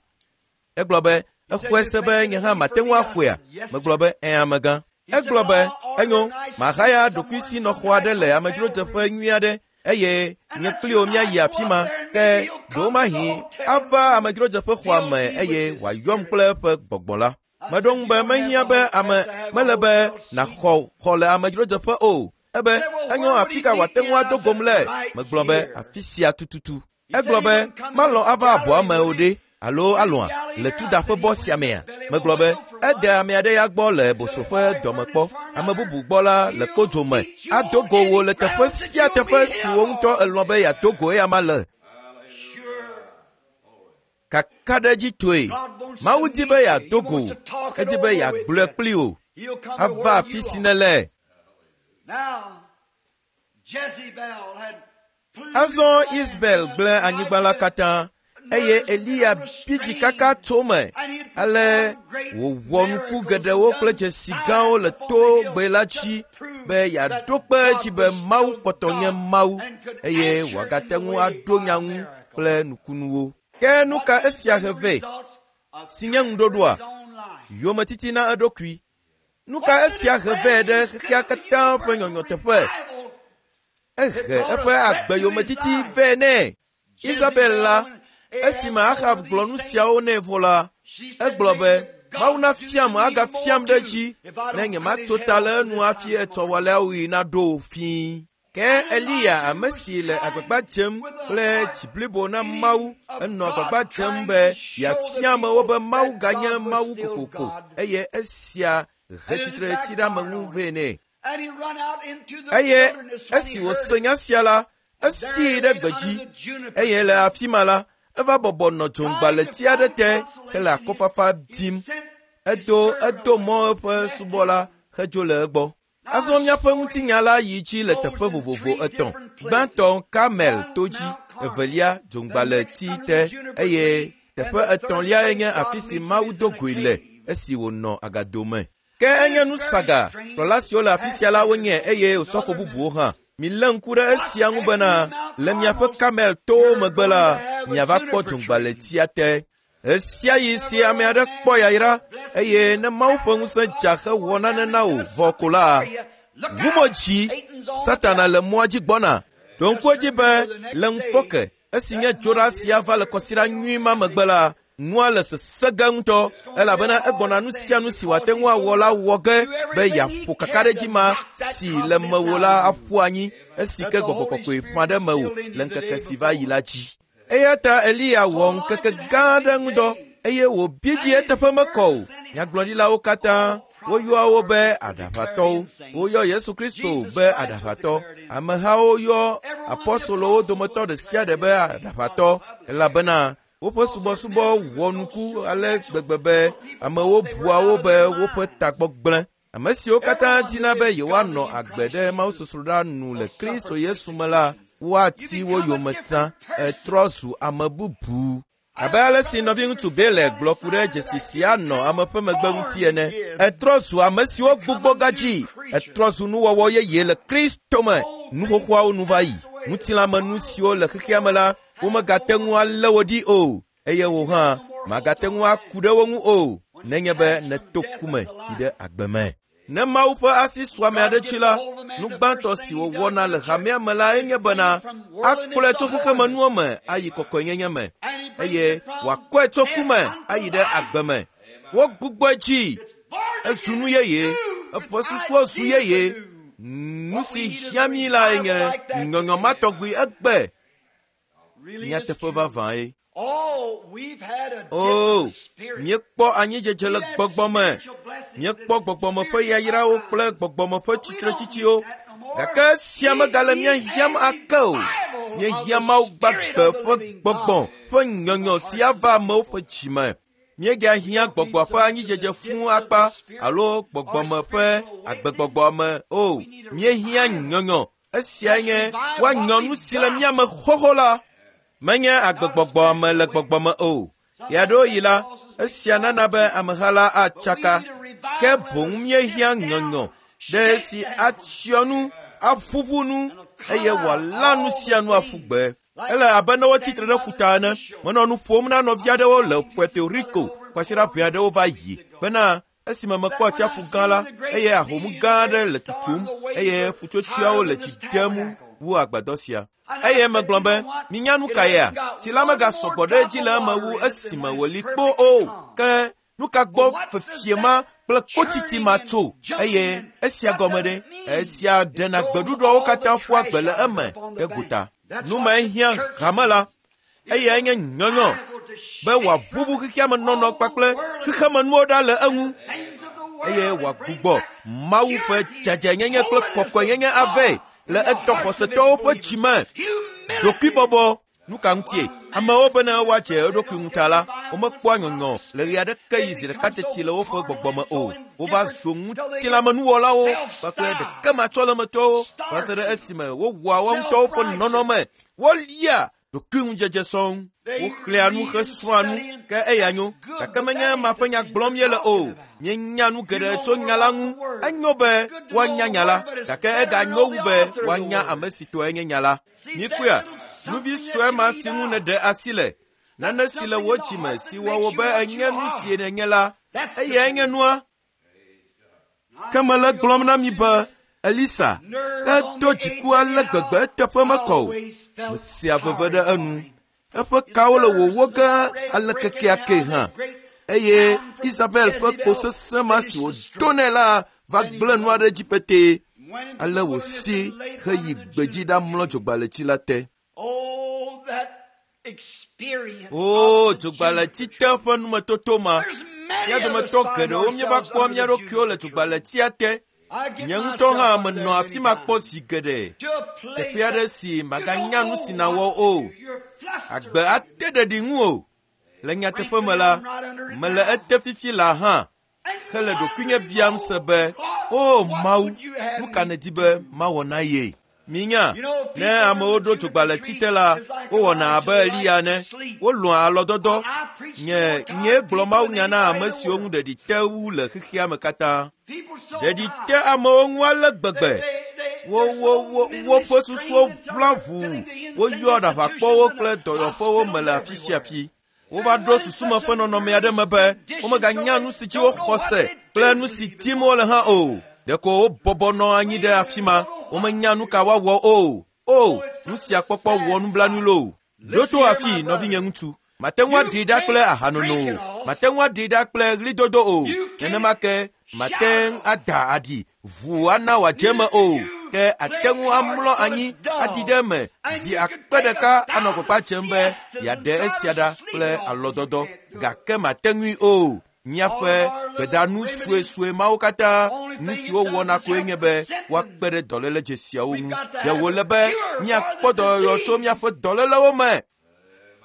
Egblɔ be, exɔe se be nye hã mate ŋu axɔea? Megblɔ be, ẽ amegã. Egblɔ be, enyo, mahaya ɖokuisinɔxɔ aɖe le amedzrodzeƒe nyui aɖe eye nye kpli wò míayi afi ma, ke ɖewomahi ava amedzrodzeƒe xɔa me eye wòayɔm kple eƒe gbɔgbɔ la. Meɖo ŋu be mehiã be ame mele be nàxɔ xɔ le amedzrodzeƒe o. Ebe, enyo afi ka wòate ŋu ado gom le? Megblɔ be, afi sia tututu. Egblɔ be, malɔ̃ ava abɔa me o ɖe, alo alɔ̃a le tudaƒe bɔ sia mea? Megblɔ be, ede ame aɖe ya gbɔ le boso ƒe dɔme kpɔ, ame bubu gbɔ la le kpodzo me. Ado go wò le teƒe sia teƒe si wò ŋutɔ elɔ̃ be yeado go eyama le. Kakaɖedzitɔe, Mawu di be yeado go wò, edi be yeagblɔe kpli wò, ava afi si nèle. Azɔ Isabel gblẽ anyigba la katã eye Eliya bi dzi kaka tso me ale wòwɔ nuku geɖewo kple dzesi gãwo le togbe la dzi be yeaɖo kpe edzi be Mawu kpɔtɔ nye Mawu eye wòagate ŋu aɖo nya ŋu kple nukunuwo. Ke nu ka esia he vɛ si nye ŋuɖoɖoa? Yometiti na eɖokui. Nu ka esia he vɛ ɖe xexea katã ƒe nyɔnyɔ teƒe? Ehe eƒe agbe yometiti vɛ nɛ. Isabel la, esime Ahab gblɔ nu siawo nɛ vɔ la, egblɔ be, Mawu nafiam agafiam ɖe edzi ne nyematso ta le enu hafi etsɔwɔleawoɣi naɖo fĩi. Ke Eliya, ame si le agbagba dzem kple dzi blibo na Mawu, enɔ agbagba dzem be yeafia amewo be Mawu ganye Mawu kokoko eye esia he tsitretsiɖeameŋu vɛ nɛ. Eye esi wòse nya sia la, esii ɖe gbedzi eye le afi ma la, eva bɔbɔ nɔ dzoŋgbalẽti aɖe te hele akɔfafa dim. Edo mɔ eƒe subɔla hedzo le egbɔ. Azɔ míaƒe ŋutinya la yi dzi le teƒe vovovo etɔ̃. Gbãtɔ Karmel to dzi, evelia dzoŋgbalẽti te eye teƒe etɔ̃liae nye afi si Mawu do goe le esi wònɔ agado me. Ke enye nu saga, kplɔla siwo le afi sia la wonye eye osɔfo bubuwo hã. Milé ŋku ɖe esia ŋu bena le miaƒe Karmel towo megbe la, miava kpɔ dzoŋgbalẽtia te. Ɣesiaɣi si ame aɖe kpɔ yayra eye ne Mawu ƒe ŋusẽ dza hewɔ nane na wò vɔ ko la, ʋu mo dzi, Satana le mɔa dzi gbɔna. Ɖo ŋku edzi be le ŋufɔke esi nye dzoɖa sia va le kɔsiɖa nyui ma megbe la, nua le sesẽ ge ŋutɔ elabena egbɔna nu sia nu si wòate ŋu awɔ la wɔ ge be yeaƒo kakaɖedzi ma si le mewò la aƒu anyi esi ke gbɔgbɔ kɔkɔe ƒã ɖe mewò le ŋkeke si va yi la dzi. Eya ta Eliya wɔ ŋkeke gã aɖe ŋudɔ eye wòbi dzi eteƒe mekɔ o. Nyagblɔɖilawo katã woyɔa wo be aɖaʋatɔwo. Woyɔ Yesu Kristo be aɖaʋatɔ. Amehawo yɔ apɔstolowo dometɔ ɖe sia ɖe be aɖaʋatɔ elabena woƒe subɔsubɔ wɔ nuku ale gbegbe be amewo bua wo be woƒe tagbɔ gblẽ. Ame siwo katã dina be yewoanɔ agbe ɖe mawusosroɖa nu le Kristo Yesu me la, woati wo yome tsã. Etrɔ zu ame bubu. Abe ale si nɔviŋutsu Bele gblɔ ku ɖe dzesi si anɔ ame ƒe megbe ŋuti ene, etrɔ zu ame siwo gbugbɔ gadzi. Etrɔ zu nuwɔwɔ yeye le Kristo me. Nu xoxoawo nu va yi. Ŋutilãmenu siwo le xexea me la, womegate ŋu alé wo ɖi o eye wò hã màgate ŋu aku ɖe wo ŋu o nenye be nèto ku me yi ɖe agbe me. Ne Mawu ƒe asi su ame aɖe dzi la, nu gbãtɔ si wòwɔna le hamea me la enye bena akplɔe tso xexemenuwo me ayi kɔkɔenyenye me eye wòakɔe tso ku me ayi ɖe agbe me. Wogbugbɔe dzi, ezu nu yeye, eƒe susuwo zu yeye. Nu si hiã mí lae nye nyɔnyɔ ma tɔgbi egbe. Nyateƒe vavãe. O, míekpɔ anyidzedze le gbɔgbɔ me. Míekpɔ gbɔgbɔme ƒe yayrawo kple gbɔgbɔme ƒe tsitretsitsiwo. Gake esia megale mía hiãm ake o. Míehiã Mawu gbagbe ƒe gbɔgbɔ ƒe nyɔnyɔ si ava amewo ƒe dzi me. Míegahiã gbɔgbɔ ƒe anyidzedze fũu akpa alo gbɔgbɔme ƒe agbegbɔgbɔ me o. Míehiã nyɔnyɔ. Esiae nye woanyɔ nu si le mía me xoxo la. Menye agbegbɔgbɔ me le gbɔgbɔme o. Ɣeaɖewoɣi la, esia nana be ameha la atsaka. Ke boŋ míehiã nyɔnyɔ ɖe esi atsyɔ nu, aƒuƒu nu eye wòala nu sia nu aƒu gbe. Ele abe ne wotsi tre ɖe ƒuta ene. Menɔ nu ƒom na nɔvi aɖewo le Puerto Rico kwasiɖa ʋɛ aɖewo va yi bena esime mekpɔ atsiaƒu gã la eye ahom gã aɖe le tutum eye ƒutsotsoeawo le tsi dem wu agbadɔ sia. Eye megblɔ be, minya nu ka yea? Tsi la megasɔ gbɔ ɖe edzi le eme wu esime wòli kpo o. Ke nu ka gbɔ fefie ma kple kpotsitsi ma tso? Eye esia gɔme ɖe? Esia ɖena gbeɖuɖɔwo katã ƒua gbe le eme ɖe gota. Nu mae hiã hame la. Eyae nye nyɔnyɔ be wòaʋuʋu xexeame nɔnɔ kpakple xexemenuwo ɖa le eŋu eye wòagbugbɔ Mawu ƒe dzadzɛnyenye kple kɔkɔenyenye avɛ le etɔ xɔsetɔwo ƒe dzi me. Ɖokuibɔbɔ nu ka ŋutie? Amewo bene woadze eɖokui ŋu ta la, womekpɔa nyɔnyɔ le ɣe aɖeke yi zi ɖeka teti le woƒe gbɔgbɔ me o. Wova zu ŋutilãmenuwɔlawo kpakple ɖekematsɔlemetɔwo va se ɖe esime wowɔa woa ŋutɔwo ƒe nɔnɔme. Wolia ɖokuiŋudzedze sɔŋ. Woxlẽa nu hesrɔ̃a nu, ke eya nyo. Gake menye ema ƒe nya gblɔm míele o. Míenya nu geɖe tso nya la ŋu. Enyo be woanya nya la, gake eganyo wu be woanya ame si tɔe nye nya la. Míkpɔea, nuvi sue ma si ŋu nèɖe asi le, nane si le wò dzime si wɔ wò be ènye nu si nènye la, eyae nye nua. Ke mele gblɔm na mi be Elisa edo dziku ale gbegbe eteƒe mekɔ o. Mesea veve ɖe enu. Eƒe kawo le wòwó ge ale kekeake hã. Eye Isabel ƒe kpo sesẽ ma si wòdo nɛ la va gblẽ nua ɖe dzi petee. Ale wòsi heyi gbedzi ɖamlɔ dzogbaletsi la te. O, dzogbaletsi te ƒe numetoto ma. Mía dometɔ geɖewo míeva kpɔa mía ɖokuiwo le dzogbaletsia te. Nye ŋutɔ hã menɔ afi ma kpɔ zi geɖe. Teƒe aɖe si màganya nu si nàwɔ o. Agbe ate ɖeɖi ŋu o. Le nyateƒe me la, mele ete fifi laa hã hele ɖokuinye biam se be, O Mawu, nu ka nèdi be mawɔ na ye? Minya, ne amewo ɖo dzogbaletsi te la, wowɔna abe Eliya ene. Wolɔ̃a alɔdɔdɔ. Nye nyee gblɔ mawunya na ame siwo ŋu ɖeɖi te wu le xexea me katã. Ɖeɖi te amewo ŋu ale gbegbe. Wo wo wo woƒe susuwo ʋla ʋuu. Woyɔa ɖaʋakpɔwo kple dɔyɔƒewo me le afi sia afi. Wova ɖo susume ƒe nɔnɔme aɖe me be womeganya nu si dzi woxɔ se kple nu si tim wole hã o. Ɖeko wobɔbɔ nɔ anyi ɖe afi ma. Womenya nu ka woawɔ o. O, nu sia kpɔkpɔ wɔ nublanui loo. Ɖo to afii, nɔvinye ŋutsu. Mate ŋu aɖee ɖa kple ahanono o. Mate ŋu aɖee ɖa kple ɣlidodo o. Nenema ke mate ŋu ada aɖi ʋuu ana wòadze eme o. Ke ate ŋu amlɔ anyi aɖi ɖe eme zi akpe ɖeka anɔ gbagba dzem be yeaɖe esia ɖa kple alɔdɔdɔ gake mate ŋui o. Míaƒe gbedanu suesue mawo katã, nu si wowɔna koe nye be woakpe ɖe dɔléle dzesiawo ŋu. Ɖe wòle be míakpɔ dɔyɔyɔ tso míaƒe dɔlélewo me?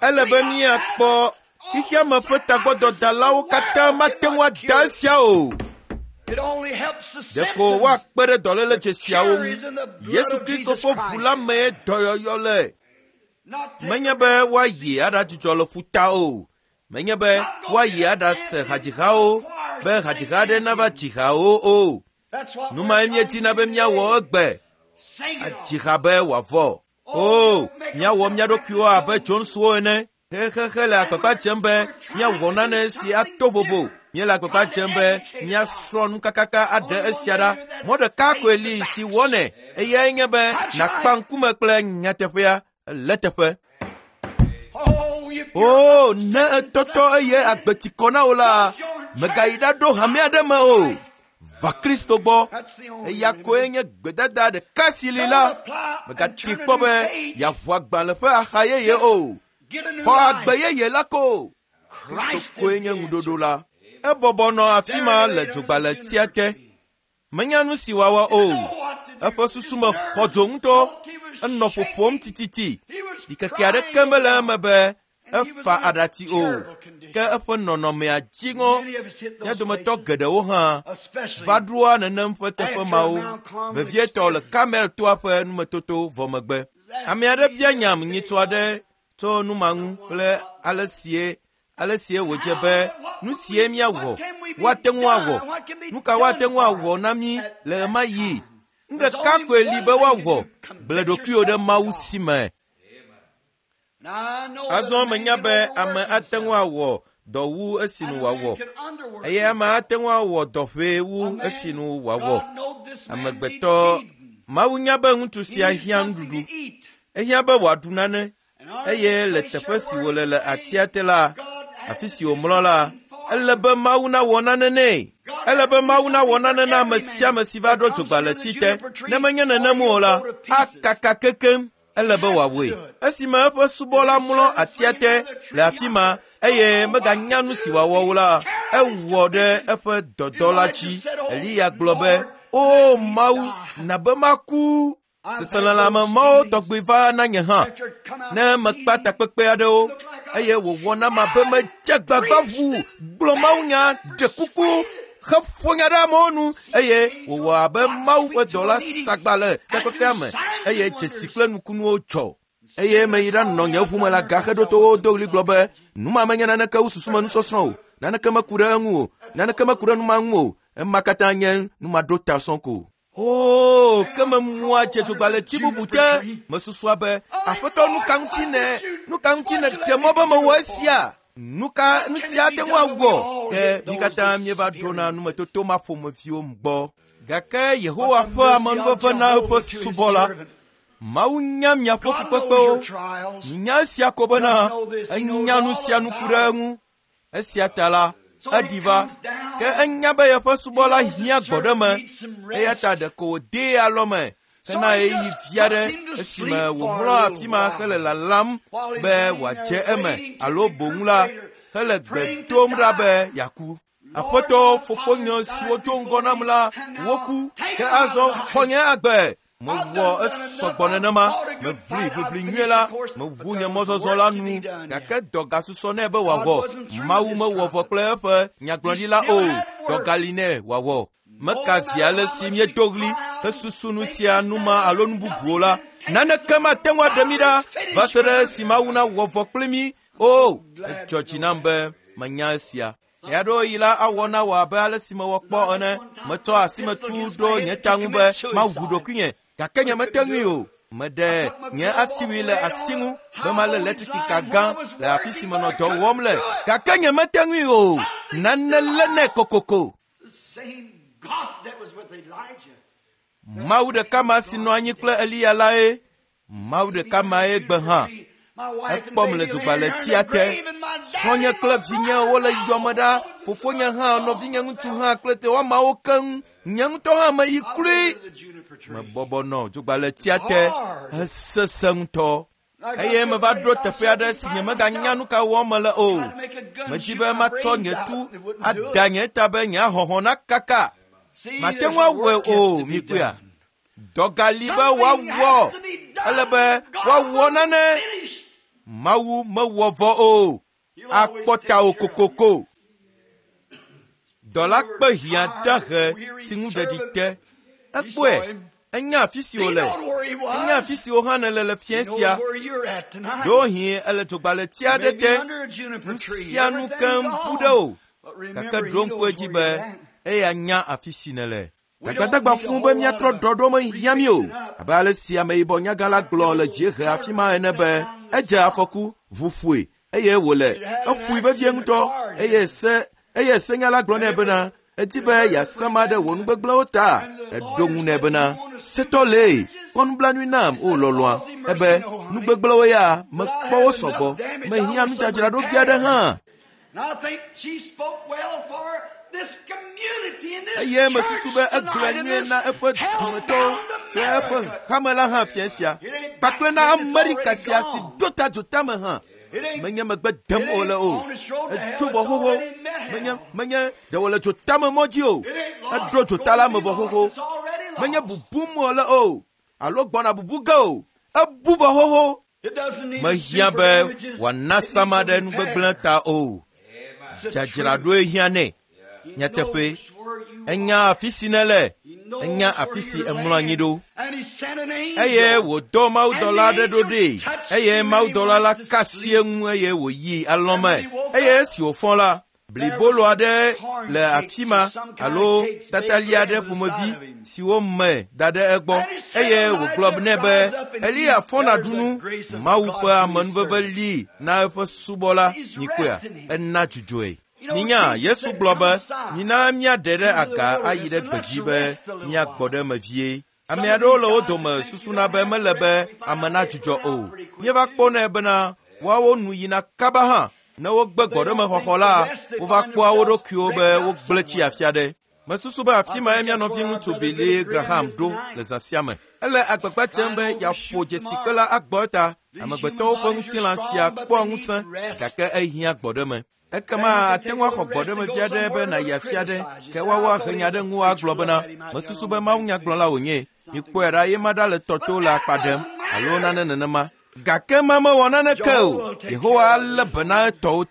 Ele be míakpɔ xexeame ƒe tagbɔdɔdalawo katã mate ŋu ada esia o. Ɖeko woakpe ɖe dɔléle dzesiawo ŋu. Yesu Kristo ƒe ʋu la mee dɔyɔyɔ le. Menye be woayi aɖadzudzɔ le ƒuta o. Menye be woayi aɖase hadzihawo be hadziha aɖe nava dzi hawo o. Nu mae míedina be míawɔ egbe. Adzi ha be wòavɔ. O, míawɔ mía ɖokuiwo abe Joneswo ene. Xexexe le agbagba dzem be míawɔ nane si ato vovo. Míele agbagba dzem be míasrɔ̃ nu kakaka aɖe esia ɖa. Mɔ ɖeka koe li si wɔnɛ. Eyae nye be nàkpa ŋkume kple nyateƒea le teƒe. O, ne ètɔtɔ eye agbe ti kɔ na wò la, mègayi ɖaɖo hame aɖe me o. Va Kristo gbɔ. Eya koe nye gbedada ɖeka si li la. Mègate kpɔ be yeaʋu agbalẽ ƒe axa yeye o. Xɔ agbe yeye la ko. Kristo koe nye ŋuɖoɖo la. Ebɔbɔ nɔ afi ma le dzogbalẽtia te. Menya nu si wòawɔ o. Eƒe susu me xɔ dzo ŋutɔ. Enɔ ƒoƒom tititi. Ɖikeke aɖeke mele eme be Efa aɖatsi o, ke eƒe nɔnɔmea dziŋɔ. Mía dometɔ geɖewo hã va ɖoa nenem ƒe teƒe mawo, vevietɔ le Karmel toa ƒe numetoto vɔ megbe. Ame aɖe bia nyam nyitsɔ aɖe tso nu ma ŋu kple ale sie ale sie wòdze be nu sie míawɔ woate ŋu awɔ nu ka woate ŋu awɔ na mí le ɣemaɣi nu ɖeka koe li be woawɔ gblẽ ɖokuiwò ɖe Mawu si me. Azɔ menya be ame ate ŋu awɔ dɔ wu esinu wòawɔ eye ame ate ŋu awɔ dɔ ʋee wu esinu wòawɔ. Amegbetɔ Mawu nya be ŋutsu sia hiã nuɖuɖu. Ehiã be wòaɖu nane eye le teƒe si wòle le atia te la, afi si wòmlɔ la, ele be Mawu nawɔ nane nɛ. Ele be Mawu nawɔ nane na ame sia ame si va ɖo dzogbaletsi te. Ne menye nenem o la, akaka kekeŋ. Ele be wòawɔe. Esime eƒe subɔla mlɔ atia te le afi ma eye meganya nu si wòawɔ o la, ewɔ ɖe eƒe dɔdɔ la dzi. Eliya gblɔ be, "O Mawu, na be maku." Seselelãme mawo tɔgbi va na nye hã ne mekpa takpekpe aɖewo eye wòwɔ nam abe medze gbagba ʋuu gblɔ mawunya, ɖe kuku heƒo nya ɖe amewo nu eye wòwɔ abe Mawu ƒe dɔla sagba le takpekpea me eye dzesi kple nukunuwo dzɔ. Eye meyi ɖanɔ nye ʋu me le agaxeɖotowo do ɣli gblɔ be, nu ma menye naneke wu susumenusɔsrɔ̃ o, naneke meku ɖe eŋu o, naneke meku ɖe nu ma ŋu o, ema katã nye numaɖotasɔ ko. Oo, ke memua dze dzogbaletsi bubu te. Mesusua be, Aƒetɔ, nu ka ŋuti ne, nu ka ŋuti nèɖe mɔ be mewɔ esia? Nu ka nu sia ate ŋu awɔ? Ke mí katã míeva ɖona numetoto ma ƒomeviwo gbɔ. Gake Yehowa ƒe amenuveve na eƒe subɔla. Mawu nya miaƒe fukpekpewo. Minya esia ko bena enya nu sia nu ku ɖe eŋu. Esia ta la, eɖi va. Ke enya be yeƒe subɔla hiã gbɔɖeme eya ta ɖeko wòdee alɔme hena ɣeyiɣi vi aɖe esime wòmlɔ afi ma hele lalam be wòadze eme alo boŋ la, hele gbe dom ɖa be yeaku. Aƒetɔ fofonye siwo do ŋgɔ nam la, woku, ke azɔ xɔ nye agbe. Mewɔ esɔgbɔ nenema, meʋli ʋiʋli nyuie la, meʋu nye mɔzɔzɔ la nu, gake dɔ gasusɔ nɛ be wòawɔ. Mawu mewɔ vɔ kple eƒe nyagblɔɖila o, dɔ gali nɛ wòawɔ. Meka zi ale si míedo ɣli hesusu nu sia nu ma alo nu bubuwo la, naneke mate ŋu aɖe mí ɖa va se ɖe esi Mawu nawɔ vɔ kpli mí. O, edzɔ dzi nam be menya esia. Ɣeaɖewoɣi la awɔ na wò abe ale si mewɔ kpɔ ene. Metsɔ asimetu ɖo nye ta ŋu be mawu ɖokuinye, gake nyemete ŋui o. Meɖe nye asiwui le asi ŋu be malé letrikika gã le afi si menɔ dɔ wɔm le, gake nyemete ŋui o. Nane lé nɛ kokoko. Mawu ɖeka ma si nɔ anyi kple Eliya lae Mawu ɖeka mae gbe hã. Ekpɔm le dzogbaletsia te. Srɔ̃nye kple vinye wole yɔme ɖa. Fofonye hã, nɔvinye ŋutsu hã kple woamawo keŋ. Nye ŋutɔ hã meyi kloe. Mebɔbɔ nɔ dzogbaletsia te hesesẽ ŋutɔ. Eye meva ɖo teƒe aɖe si nyemeganya nu ka wɔm mele o. Medi be matsɔ nye tu ada nye ta be nye ahɔhɔ̃ nakaka. Mate ŋu awɔe o, mikpɔea? Dɔ gali be woawɔ. Ele be woawɔ nane. Mawu mewɔ vɔ o. Akpɔ tawò kokoko. Dɔla kpe hiã dahe si ŋu ɖeɖi te. Ekpɔe. Enya afi si wòle. Enya afi si wò hã nèle le fiẽ sia. Ɖewohĩ ele dzogbaletsi aɖe te. Nu sia nu keŋ bu ɖe wò. Gake ɖo ŋku edzi be eya nya afi si nèle. Dagbadagba fũu be míatrɔ ɖɔɖɔ mehiã mí o. Abe ale si ameyibɔ nyagã la gblɔ le dziehe afi ma ene be edze afɔku, ʋu ƒoe eye wòle. Eƒoe vevie ŋutɔ eye se eye senyala gblɔ nɛ bena edi be yeasama ɖe wò nugbegblẽwo ta. Eɖo ŋu nɛ bena, setɔ lee, kpɔ nublanui nam o lɔlɔ̃a. Ebe nugbegblẽwo ya mekpɔ wo sɔgbɔ. Mehiã nudzadzraɖo vi aɖe hã. Eye mesusu be egblɔe nyuie na eƒe dumetɔwo kple eƒe hame la hã fia sia kpakple na Amerika sia si ɖo ta dzotame hã. Menye megbe dem wòle o. Etso vɔ xoxo. Menye menye ɖe wòle dzotame mɔ dzi o. Eɖo dzota la me vɔ xoxo. Menye bubum wòle o alo gbɔna bubu ge o. Ebu vɔ xoxo. Mehiã be wòana sama ɖe nugbegblẽ ta o. Dzadzraɖoe hiã nɛ. Nyateƒe, enya afi si nèle, enya afi si èmlɔ anyi ɖo. Eye wòdɔ mawudɔla aɖe ɖo ɖee eye mawudɔla la ka asi eŋu eye wòyi alɔ̃ me. Eye esi wòfɔ la, blibolo aɖe le afi ma alo tatali aɖe ƒomevi si wome da ɖe egbɔ eye wògblɔ nɛ be Eliya fɔ nàɖu nu. Mawu ƒe amenuveve li na eƒe subɔla nyikpɔea ena dzudzɔe. Minya Yesu gblɔ be mina míaɖe ɖe aga ayi ɖe gbedzi be míagbɔ ɖe eme vie. Ame aɖewo le wo dome susuna be mele be ame nadzudzɔ o. Míeva kpɔnɛ bena woawo nu yina kaba hã ne wogbe gbɔɖemexɔxɔ la, wova kpɔa wo ɖokuiwo be wogblẽ tsi afi aɖe. Mesusu be afi mae mía nɔviŋutsu Billy Graham ɖo le zã sia me. Ele agbagba dzem be yeaƒo dzesikpe la agbɔ eta. Amegbetɔwo ƒe ŋutilã sia kpɔa ŋusẽ gake ehiã gbɔɖeme. Ekema ate ŋu axɔ gbɔɖeme vi aɖe be nàyi afi aɖe ke woawo ahe nya ɖe ŋuwò agblɔ bena mesusu be mawunyagblɔla wònye. Mikpɔe ɖa ye ma ɖa le tɔ to le akpa ɖem alo nane nenema. Gake ma mewɔ naneke o. Yehowa alé be na etɔwo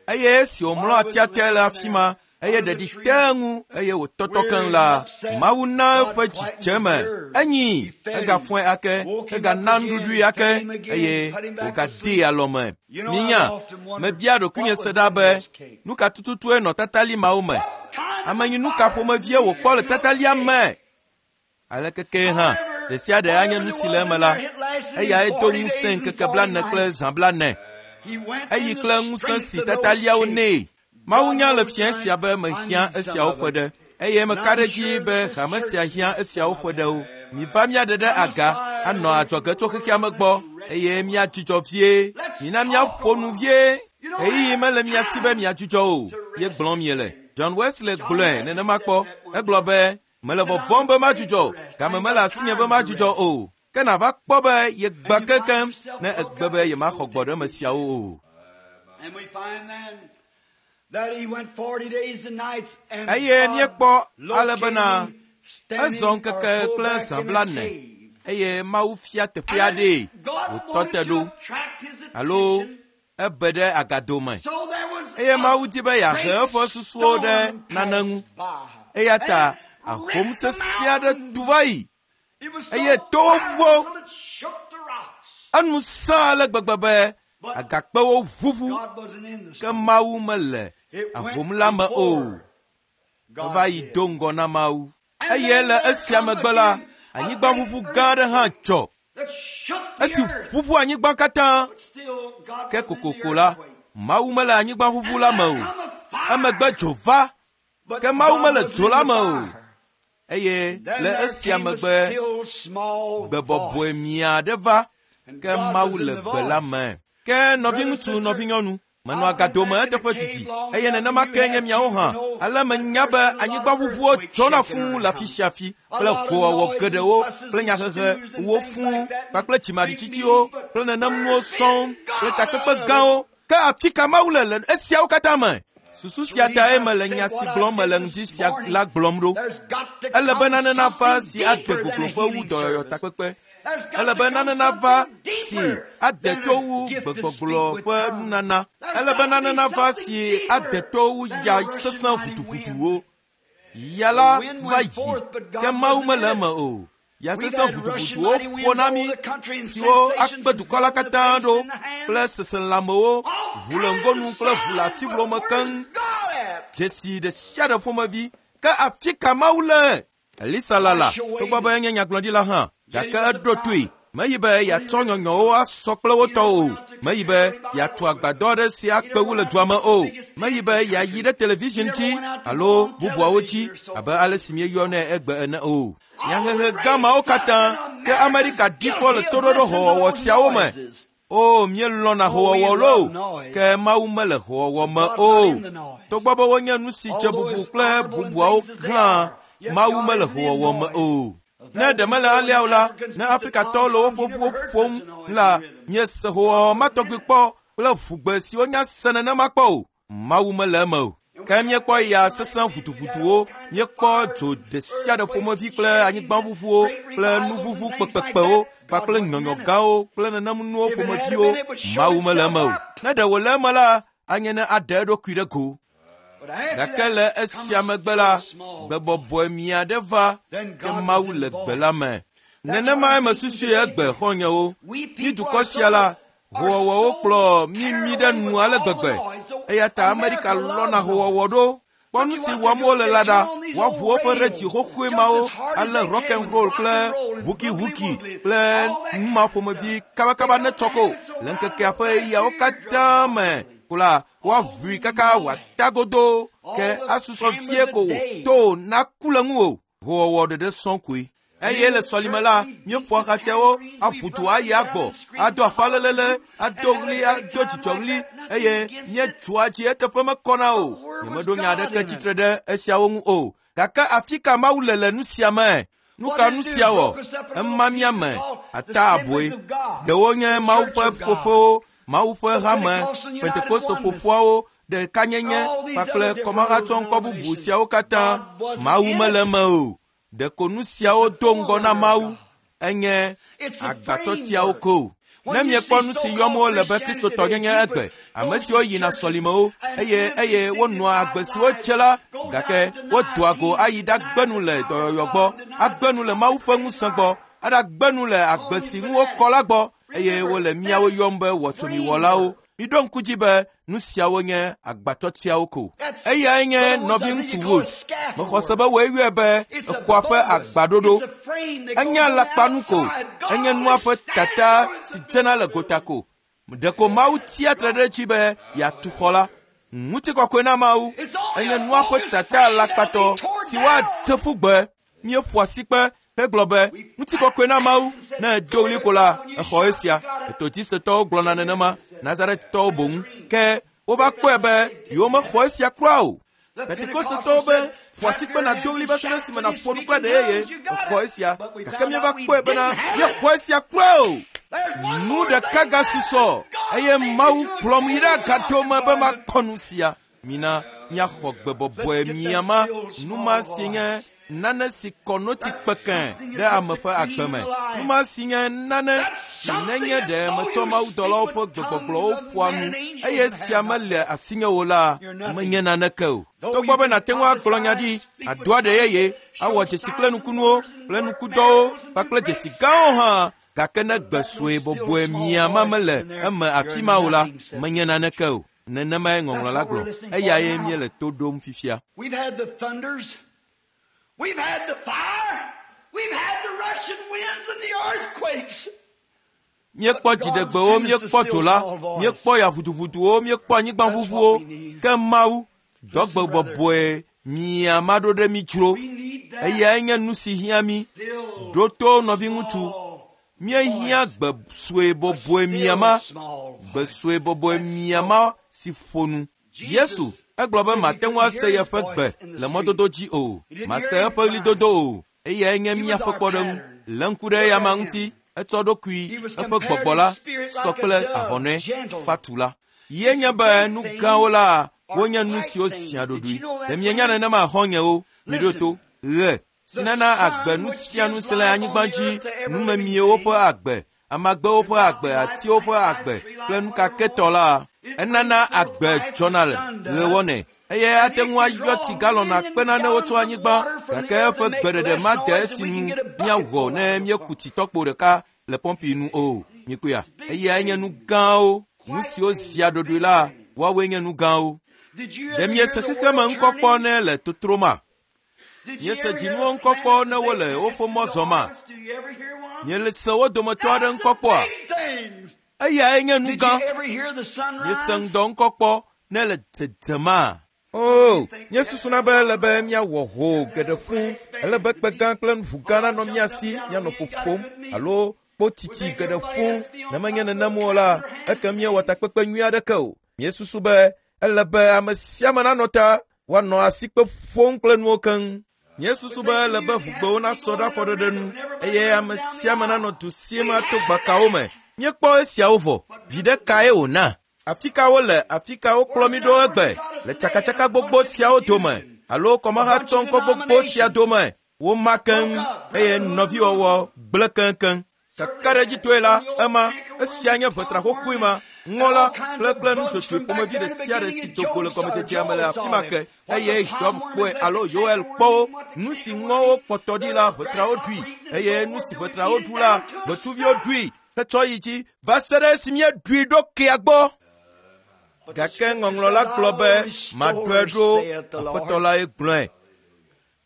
eye esi wòmlɔ atia te le afi ma eye ɖeɖi te eŋu eye wòtɔtɔ keŋ la, Mawu na eƒe dzidzeme. Enyi, egafɔe ake, egana nuɖuɖui ake eye wògadee alɔme. Minya, mebia ɖokuinye se ɖa be nu ka tututue nɔ tatali mawo me? Amenyinu ka ƒomevie wòkpɔ le tatalia me? Aleke ke hã, ɖe sia ɖe anye nu si le eme la, eyae do ŋusẽ ŋkeke blaene kple zã blaene. Eyi kple ŋusẽ si tataliawo nɛ. Mawu nya le fiẽ sia be mehiã esiawo ƒe ɖe eye meka ɖe edzi be hame sia hiã esiawo ƒe ɖewo. Miva míaɖe ɖe aga anɔ adzɔge tso xexea me gbɔ eye míadzudzɔ vie. Mina míaƒo nu vie. Ɣeyiɣi mele mia si be miadzudzɔ o, ye gblɔm miele. John Wesley gblɔe nenema kpɔ. Egblɔ be, mele vɔvɔ̃m be madzudzɔ, game mele asinye be madzudzɔ o. Ke nàva kpɔ be yegba keŋkeŋ ne egbe be yemaxɔ gbɔɖeme siawo o. And we find then that he went 40 days and nights and Eye God míekpɔ ale located bena him standing ezɔ or ŋkeke pulled kple back zã in a blaene cave. eye Mawu fia teƒe And aɖee God wòtɔ wanted te to ɖo attract his alo attention. ebe ɖe agado me. So there was Eye a Mawu di be yeahe great eƒe susuwo ɖe storm nane ŋu. passed by. Eya ta And it ahom ripped the sesẽ aɖe mountains. tu va yi. It was so Eye towo powerful ʋuʋu. it shook the rocks. Enu sẽ ale gbegbe be agakpewo ʋuʋu God wasn't in the ke storm. Mawu mele It went ahom la me o. before God Eva yi did. do ŋgɔ na Mawu. And Eye then le there esia come megbe la, again a anyigbaʋuʋu great gã aɖe hã dzɔ. that shook the Esi earth. ʋuʋu anyigba katã But still God ke wasn't in the kokoko la, earthquake. Mawu mele anyigbaʋuʋu la me o. Come a fire. Emegbe dzo va But ke Mawu God mele wasn't dzo in la the me o. fire. Eye Then le there esia came a megbe still small gbe bɔbɔe voice. mia aɖe va And ke God Mawu was in le the gbe la voice. me. Ke nɔviŋutsu, nɔvinyɔnu, menɔ agado me eteƒe didi eye nenema ke nye miawo hã. Ale menya be anyigbaʋuʋuwo dzɔna fũu le afi sia afi kple hoowɔwɔ geɖewo kple nyahehewo fũu kpakple dzimaɖitsitsiwo kple nenem nuwo sɔŋ kple takpekpe gãwo. Ke afi ka Mawu le le esiawo katã me? Susu sia tae mele nya si gblɔm mele ŋdi sia la gblɔm ɖo. There's got to Ele be come nane nava something si ade deeper than a gogloƒe wu healing dɔyɔyɔ service. takpekpe. There's got Ele to be come nane nava something si deeper ade than to a wu gift to speak gbegbɔgblɔ with ƒe tongues. nunana. There's Ele be got to nane be nava something si ade deeper to wu than ya a rushing sesẽ mighty ʋutuʋutuwo. wind. Ya la The wind va went yi forth, but ke God Mawu wasn't mele in it. eme o. Ya We've sesẽ had rushing ʋutuʋutuwo mighty ƒo winds na over mí the country and siwo sensations akpe dukɔ la and the katã face ɖo and the hands. kple seselãmewo, All ʋu le kinds ŋgonu of kple ʋu le signs, asiʋlo but me where's keŋ. God at? Dzesi ɖe sia ɖe ƒomevi ke afi ka Mawu le? Elisa lala togbɔ be enye nyagblɔɖila hã gake eɖo toe. Meyi be yeatsɔ nyɔnyɔwo asɔ kple wo tɔwo o. Meyi be yeatu agbadɔ aɖe si akpe wu le dua me o. Meyi be yeayi ɖe television dzi alo bubuawo dzi abe ale si míeyɔnɛ egbe ene o. Nyahehe gã mawo katã ke Amerika ɖi fɔ le toɖoɖo howɔwɔ siawo me. O, míelɔ̃na howɔwɔ loo, ke Mawu mele howɔwɔ me o. Togbɔ be wonye nu si dze bubu kple bubuawo hã, Mawu mele howɔwɔ me o. Ne ɖe mele alea o la, ne Afrikatɔwo le woƒe ʋuwo ƒom la, míese howɔwɔ ma tɔgbi kpɔ kple ʋugbe siwo nya se nenema kpɔ o. Mawu mele eme o. Ke míekpɔ ya sesẽ ʋutuʋutuwo, míekpɔ dzo ɖe sia ɖe ƒomevi kple anyigbaʋuʋuwo kple nuʋuʋu kpekpekpewo kpakple nyɔnyɔ gãwo kple nenem nuwo ƒomeviwo. Mawu mele eme o. Ne ɖe wòle eme la, anye ne aɖe eɖokui ɖe go. Gake le esia megbe la, gbebɔbɔe mia ɖe va ke Mawu le gbe la me. Nenemae mesusui egbe xɔ̃nyewo. Mí dukɔ sia la, howɔwɔwo kplɔ mí mi ɖe nu ale gbegbe. Eya ta Amerika lɔ̃na howɔwɔ ɖo. Kpɔ nu si wɔm wole la ɖa. Woaʋu woƒe ɖetsi xoxoe mawo ale rock and roll kple hukihuki kple nu ma ƒomevi kabakaba ne tsɔ ko. Le ŋkekea ƒe ɣeyiɣiawo katã me ko la, woaʋui kaka wòata godoo ke asusɔ vie ko to naku le ŋuwò. Howɔwɔ ɖeɖe sɔŋ koe. Eye le sɔlime la, míeƒoa xatsɛwo, aƒu du ayi agbɔ, ado aƒalelele, ado ɣli, ado dzidzɔɣli eye míetsoa dzi eteƒe mekɔna o. Nyemeɖo nya aɖeke tsitre ɖe esiawo ŋu o. Gake afi ka Mawu le le nu sia me? Nu ka nu sia wɔ? Ema mía me ata aboe. Ɖewo nye Mawu ƒe ƒoƒewo, Mawu ƒe hame, Pentekoste ƒoƒoawo, ɖekanyenye kpakple kɔmahatsɔŋkɔ bubu siawo katã. Mawu mele eme o. Ɖeko nu siawo do ŋgɔ na Mawu enye agbatsɔtiawo ko. Ne miekpɔ nu si yɔm wole be Kristotɔnyenye egbe, ame siwo yina sɔlimewo eye eye wonɔa agbe si wotse la, gake wodoa go ayi ɖagbe nu le dɔyɔyɔ gbɔ, agbe nu le Mawu ƒe ŋusẽ gbɔ, aɖagbe nu le agbe si ŋu wokɔ la gbɔ eye wole míawo yɔm be wɔtsomiwɔlawo. Miɖo ŋku dzi be nu siawo nye agbatsɔtiawo ko. Eyae nye nɔviŋutsu Wood. Mexɔ se be wòe yɔe be exɔa ƒe agbaɖoɖo. Enye alakpanu ko. Enye nua ƒe tata si dzena le gota ko. Ɖeko Mawu tia tre ɖe edzi be yeatu xɔ la. Ŋutikɔkɔe na Mawu. Enye nua ƒe tata alakpatɔ si woadze ƒu gbe. Míeƒo asikpe hegblɔ be ŋutikɔkɔe na Mawu. Ne edo ɣli ko la, exɔ esia. Metodistetɔwo gblɔna nenema, Nazaretɔwo boŋ. Ke wova kpɔe be yewomexɔ esia kura o. Pentekostetɔwo be ƒo asikpe nàdo ɣli va se ɖe esime nàƒo nu kple ɖe yeye. Exɔ esia. Gake míeva kpɔe bena míexɔ esia kura o. Nu ɖeka gasusɔ eye Mawu kplɔm yi ɖe agado me be makpɔ nu sia. Mina míaxɔ gbe bɔbɔe miama nu ma si nye nane si kɔ noti kpekẽ ɖe ame ƒe agbe me. Nu ma si nye nane si nenye ɖe metsɔ mawudɔlawo ƒe gbegbɔgblɔwo ƒoa nu eye sia mele asinye o la, menye naneke o. Togbɔ be nàte ŋu agblɔ nya ɖi, ado aɖe yeye, awɔ dzesi kple nukunuwo kple nukudɔwo kpakple dzesi gãwo hã, gake ne gbe sue bɔbɔe miama mele eme afi ma o la, menye naneke o. Nenemae ŋɔŋlɔ la gblɔ. Eyae míele to ɖom fifia. We've had the thunders. We've had the fire. We've had the rushing winds and the earthquakes. Míekpɔ dziɖegbewo, míekpɔ dzo la, míekpɔ ya ʋuduʋuduwo, míekpɔ anyigbaʋuʋuwo. Ke Mawu, dɔ gbe bɔbɔe mia maɖo ɖe mí dzro. Eyae nye nu si hiã mí. Ɖo to nɔviŋutsu. Míehiã gbe sue bɔbɔe miama, gbe sue bɔbɔe miama si ƒo nu. Yesu egblɔ be mate ŋu ase yeƒe gbe le mɔdodo dzi o, mase eƒe ɣlidodo o. Eyae nye míaƒe kpɔɖeŋu. Lé ŋku ɖe eyama ŋuti, etsɔ ɖokui eƒe gbɔgbɔ la sɔ kple ahɔnɛ fatu la. Ye nye be nu gãwo la wonye nu siwo zia ɖoɖoe. Ɖe mienya nenema xɔ̃nyewo? Miɖo to. Ɣe si nana agbe nu sia nu si le anyigba dzi, numemiewo ƒe agbe, amagbewo ƒe agbe, atiwo ƒe agbe kple nukaketɔ la, enana agbe dzɔna le ɣe wɔnɛ eye ate ŋu ayɔ tsi galɔn akpe nanewo tso anyigba gake eƒe gbeɖeɖe made esi nu míawɔ ne míeku tsi tɔkpo ɖeka le pɔmpi nu o. Mikpɔea? Eyae nye nu gãwo. Nu siwo zia ɖoɖoe la, woawoe nye nu gãwo. Ɖe miese xexeme ŋkɔ kpɔ ne le totroma? Miese dzinuwo ŋkɔ kpɔ ne wole woƒe mɔ zɔma? Miese wo dometɔ aɖe ŋkɔ kpɔa? Eyae nye nu gã. Miese ŋdɔ ŋkɔ kpɔ ne le dzedzema? O, míesusuna be ele be míawɔ ho geɖe fũu. Ele be kpe gã kple ʋu gã nanɔ mía si míanɔ ƒoƒom alo kpotiti geɖe fũu. Ne menye nenem o la, eke míewɔ takpekpe nyui aɖeke o. Míesusu be ele be ame sia ame nanɔ ta woanɔ asikpe ƒom kple nuwo keŋ. Míesusu be ele be ʋugbewo nasɔ ɖe afɔɖeɖe nu eye ame sia ame nanɔ du sim ato gbakawo me. Míekpɔ esiawo vɔ. Viɖe kae wòna? Afi ka wole? Afi ka wokplɔ mí ɖo egbe? Le tsakatsaka gbogbo siawo dome alo kɔmahatsɔŋkɔ gbogbo sia dome, woma keŋ eye nɔviwɔwɔ gblẽ keŋkeŋ. Kakaɖedzitɔe la, ema esia nye ʋetra xoxoe ma, ŋɔ la kple nudzodzoe ƒomevi ɖe sia ɖe si do go le gɔmedzedzea me le afi ma ke eye Hiob kpɔe alo Yoel kpɔ wo. Nu si ŋɔwo kpɔtɔ ɖi la, ʋetrawo ɖui eye nu si ʋetrawo ɖu la, ʋetsuviwo ɖui hetsɔ yi dzi va se ɖe esi míeɖui ɖo kea gbɔ. Gake ŋɔŋlɔ la gblɔ be maɖɔe ɖo, Aƒetɔ lae gblɔe.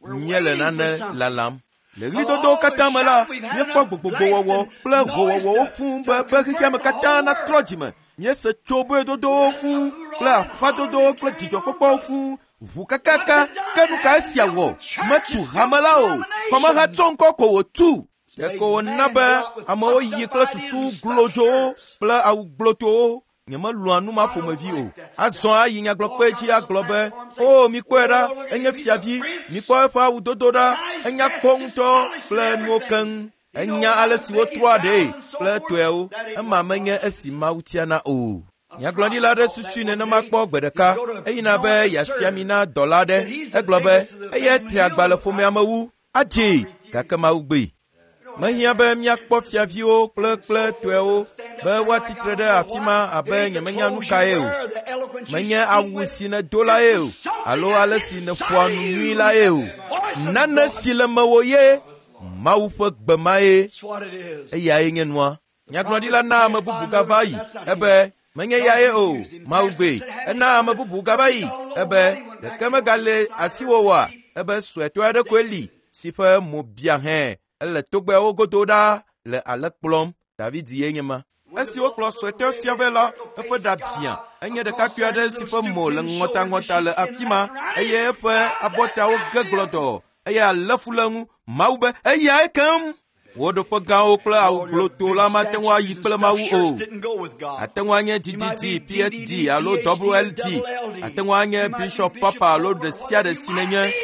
Míele nane lalam. Le ɣlidodowo katã me la, míekpɔ gbogbogbowɔwɔ kple howɔwɔwo fũu be xexeame katã natrɔ dzime. Míese tsoboedodowo fũu kple aƒadodowo kple dzidzɔkpɔkpɔwo fũu ʋu kakaka. Ke nu ka esia wɔ? Metu hame la o. Kɔmahatsɔŋkɔ ko wòtu. Ɖeko wòna be amewo yi kple susu glodzowo kple awu gblotowo. Nyemelɔ̃a nu ma ƒomevi o. Azɔ ayi nyagblɔkpe dzi agblɔ be, “O, mikpɔe ɖa, enye fiavi, mikpɔ eƒe awudodo ɖa, enya kpɔ ŋutɔ kple nuwo keŋ. Enya ale si wotrɔa ɖee kple etɔewo. Ema menye esi Mawu tiana o.” Nyagblɔɖila aɖe susui nenema kpɔ gbe ɖeka. Eyina be yeasi ami na dɔla aɖe. Egblɔ be, “Eyae tri agba le ƒomea me wu. Adzee, gake Mawu gbee.” Mehiã be míakpɔ fiaviwo kple tɔewo be woatsitre ɖe afi ma abe nyemenya nu kae o. Menye awu si nèdo lae o alo ale si nèƒoa nu nyui lae o. Nane si le mewò ye Mawu ƒe gbe mae. Eyae nye nua. Nyagblɔɖila na ame bubu gava yi ebe menye yae o, Mawu gbee. Ena ame bubu gava yi ebe ɖeke megale asiwò oa? Ebe suetɔ aɖe koe li si ƒe mo bia hẽ ele togbɛawo godo ɖaa le ale kplɔm. David ye nye ma. Esi wokplɔ suetɔ sia vɛ la, eƒe ɖa biã. Enye ɖekakpui aɖe si ƒe mo le ŋɔtaŋɔta le afi ma eye eƒe abɔtawo ge gblɔdɔɔ eye alé fu le eŋu. Mawu be eyae keŋ. Wò ɖoƒe gãwo kple awu gblotoo la mate ŋu ayi kple Mawu o. Ate ŋu anye DDD, PhD alo WLD. Ate ŋu anye Bishop Papa alo ɖe sia ɖe si nènye.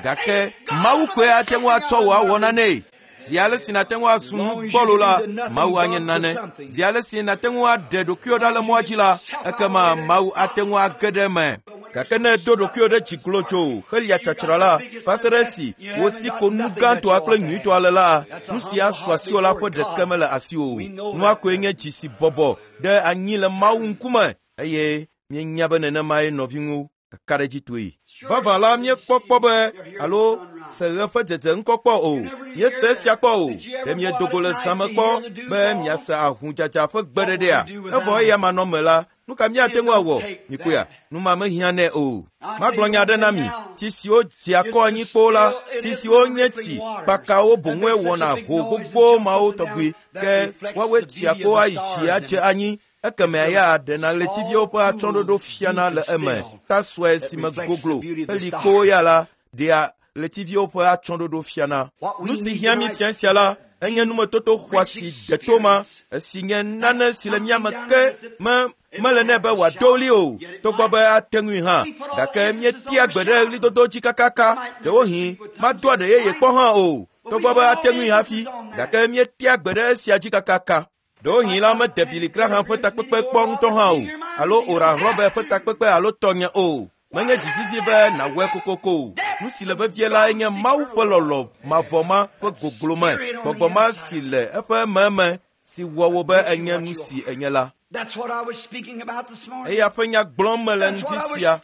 Gake Mawu koe ate ŋu atsɔ wò awɔ nanee. Zi ale si nàte ŋu azu nu gbɔlo la, Mawu anye nane. Zi ale si nàte ŋu aɖe ɖokuiwò ɖa le mɔa dzi la, ekema Mawu ate ŋu age ɖe eme. Gake ne èdo ɖokuiwò ɖe dzi glodzo helia tsatsra la, va se ɖe esi wò si ko nu gãtɔa kple nyuitɔa le la, nu si asu asiwò la ƒe ɖeke mele asiwò o. Nua koe nye dzi si bɔbɔ ɖe anyi le Mawu ŋkume eye míenya be nenemae nɔviŋu kakaɖedzitɔe. Vavã la, míekpɔ kpɔ be alo se ɣe ƒe dzedze ŋkɔ kpɔ o. Míese esia kpɔ o. Ɖe miedo go le zã me kpɔ be miase ahudzadza ƒe gbeɖeɖea? Evɔ eya manɔme la, nu ka míate ŋu awɔ? Mikpɔea, nu ma mehiã nɛ o. Magblɔ nya aɖe na mi. Tsi siwo dzea kɔ anyi kpoo la, tsi siwo nye tsi kpakawo boŋue wɔna ho gbogbo mawo tɔgbi ke woawoe tsia kpo ayi tsi adze anyi. Ekemea ya ɖena ɣletiviwo ƒe atsyɔ̃ɖoɖo fiana le eme. Ta sue si me goglo heli kpoo ya la ɖea ɣletiviwo ƒe atsyɔ̃ɖoɖo fiana. Nu si hiã mí fia sia la, enye numetoto xɔasi deto ma, esi nye nane si le mía me ke mele nɛ be wòado ɣli o, togbɔ be ate ŋui hã. Gake míetea gbe ɖe ɣlidodo dzi kakaka, ɖewohĩ mado aɖe yeye kpɔ hã o, togbɔ be ate ŋui hafi, gake míetea gbe ɖe esia dzi kakaka. Ɖewohĩ la mede Billy Graham ƒe takpekpe kpɔ ŋutɔ hã o, alo Oral Roberts ƒe takpekpe alo tɔnye o. Menye dzizizi be nàwɔe kokoko o. Nu si le vevie lae nye Mawu ƒe lɔlɔ̃ mavɔ ma ƒe goglome, gbɔgbɔ ma si le eƒe ememe si wɔ wò be ènye nu si ènye la. Eya ƒe nya gblɔm mele ŋdi sia.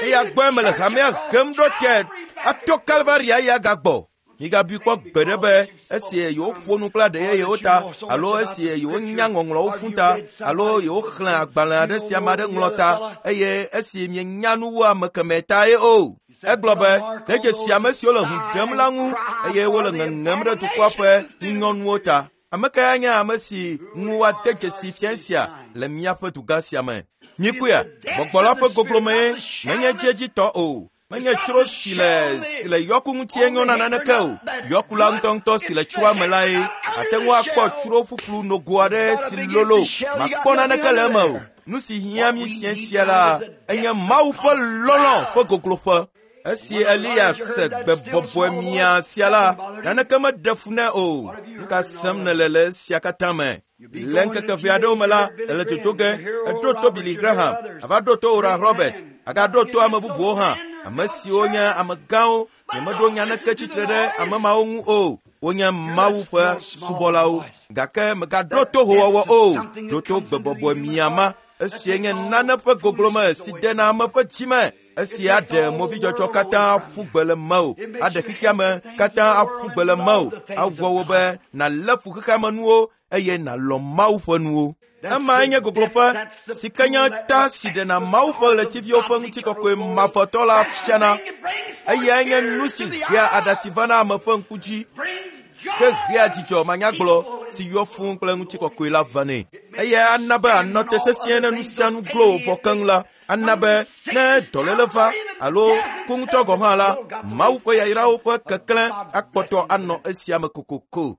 Eya gbɔe mele hamea hem ɖo te ato Kalvaria ya gagbɔ. Migabui kpɔ gbeɖe be esi yewoƒo nu kple aɖe yeyewo ta alo esi yewonya ŋɔŋlɔwo fũ ta alo yewoxlẽ agbalẽ aɖe si ame aɖe ŋlɔ ta eye esi mienya nu wu ame kemɛ tae o. Egblɔ be, ɖe dzesi ame siwo le hũ ɖem la ŋu eye wole ŋeŋem ɖe dukɔa ƒe ŋunyɔnuwo ta. Ame kae nye ame si ŋu woade dzesi fia sia le míaƒe dugã sia me? Mikpɔea, gbɔgbɔ la ƒe goglomee menye edziedzitɔ o. Menye tsro si le yɔku ŋutie nyɔna naneke o. Yɔku la ŋutɔŋutɔ si le tsroa me lae. Ate ŋu akpɔ tsro ƒuƒlu nogo aɖe si lolo, makpɔ naneke le eme o. Nu si hiã mí fia sia la enye Mawu ƒe lɔlɔ̃ ƒe gogloƒe. Esi Eliya se gbe bɔbɔe mia sia la, naneke meɖe fu nɛ o. Nu ka sem nèle le esia katã me? Le ŋkeke ʋɛ aɖewo me la, èle dzodzo ge, èɖo to Billy Graham, ava ɖo to Oral Robert, agaɖo to ame bubuwo hã, ame siwo nye amegãwo. Nyemeɖo nya naneke tsitre ɖe ame mawo ŋu o. Wonye Mawu ƒe subɔlawo. Gake mègaɖo to howɔwɔ o. Ɖo to gbe bɔbɔe mia ma. Esia nye nane ƒe goglome si dena ame ƒe dzi me. Esia aɖe movidzɔdzɔ katã aƒu gbe le mewò, aɖe xexea me katã aƒu gbe le mewò, awɔ wò be nàlé fu xexea me nuwo eye nàlɔ̃ Mawu ƒe nuwo. Emae nye gogloƒe si ke nye ta si ɖena Mawu ƒe ɣletiviwo ƒe ŋutikɔkɔe mavɔtɔ la fiana. Eyae nye nu si hea aɖatsi vana ame ƒe ŋku dzi hehea dzidzɔ manyagblɔ si yɔ fũu kple ŋutikɔkɔe la vanɛ. Eyae ana be ànɔ te sesĩe ne nu sia nu glo wò vɔ keŋ la. Ana be ne dɔléle va alo ku ŋutɔ gɔ̃ hã la, Mawu ƒe yayrawo ƒe keklẽ akpɔtɔ anɔ esia me kokoko.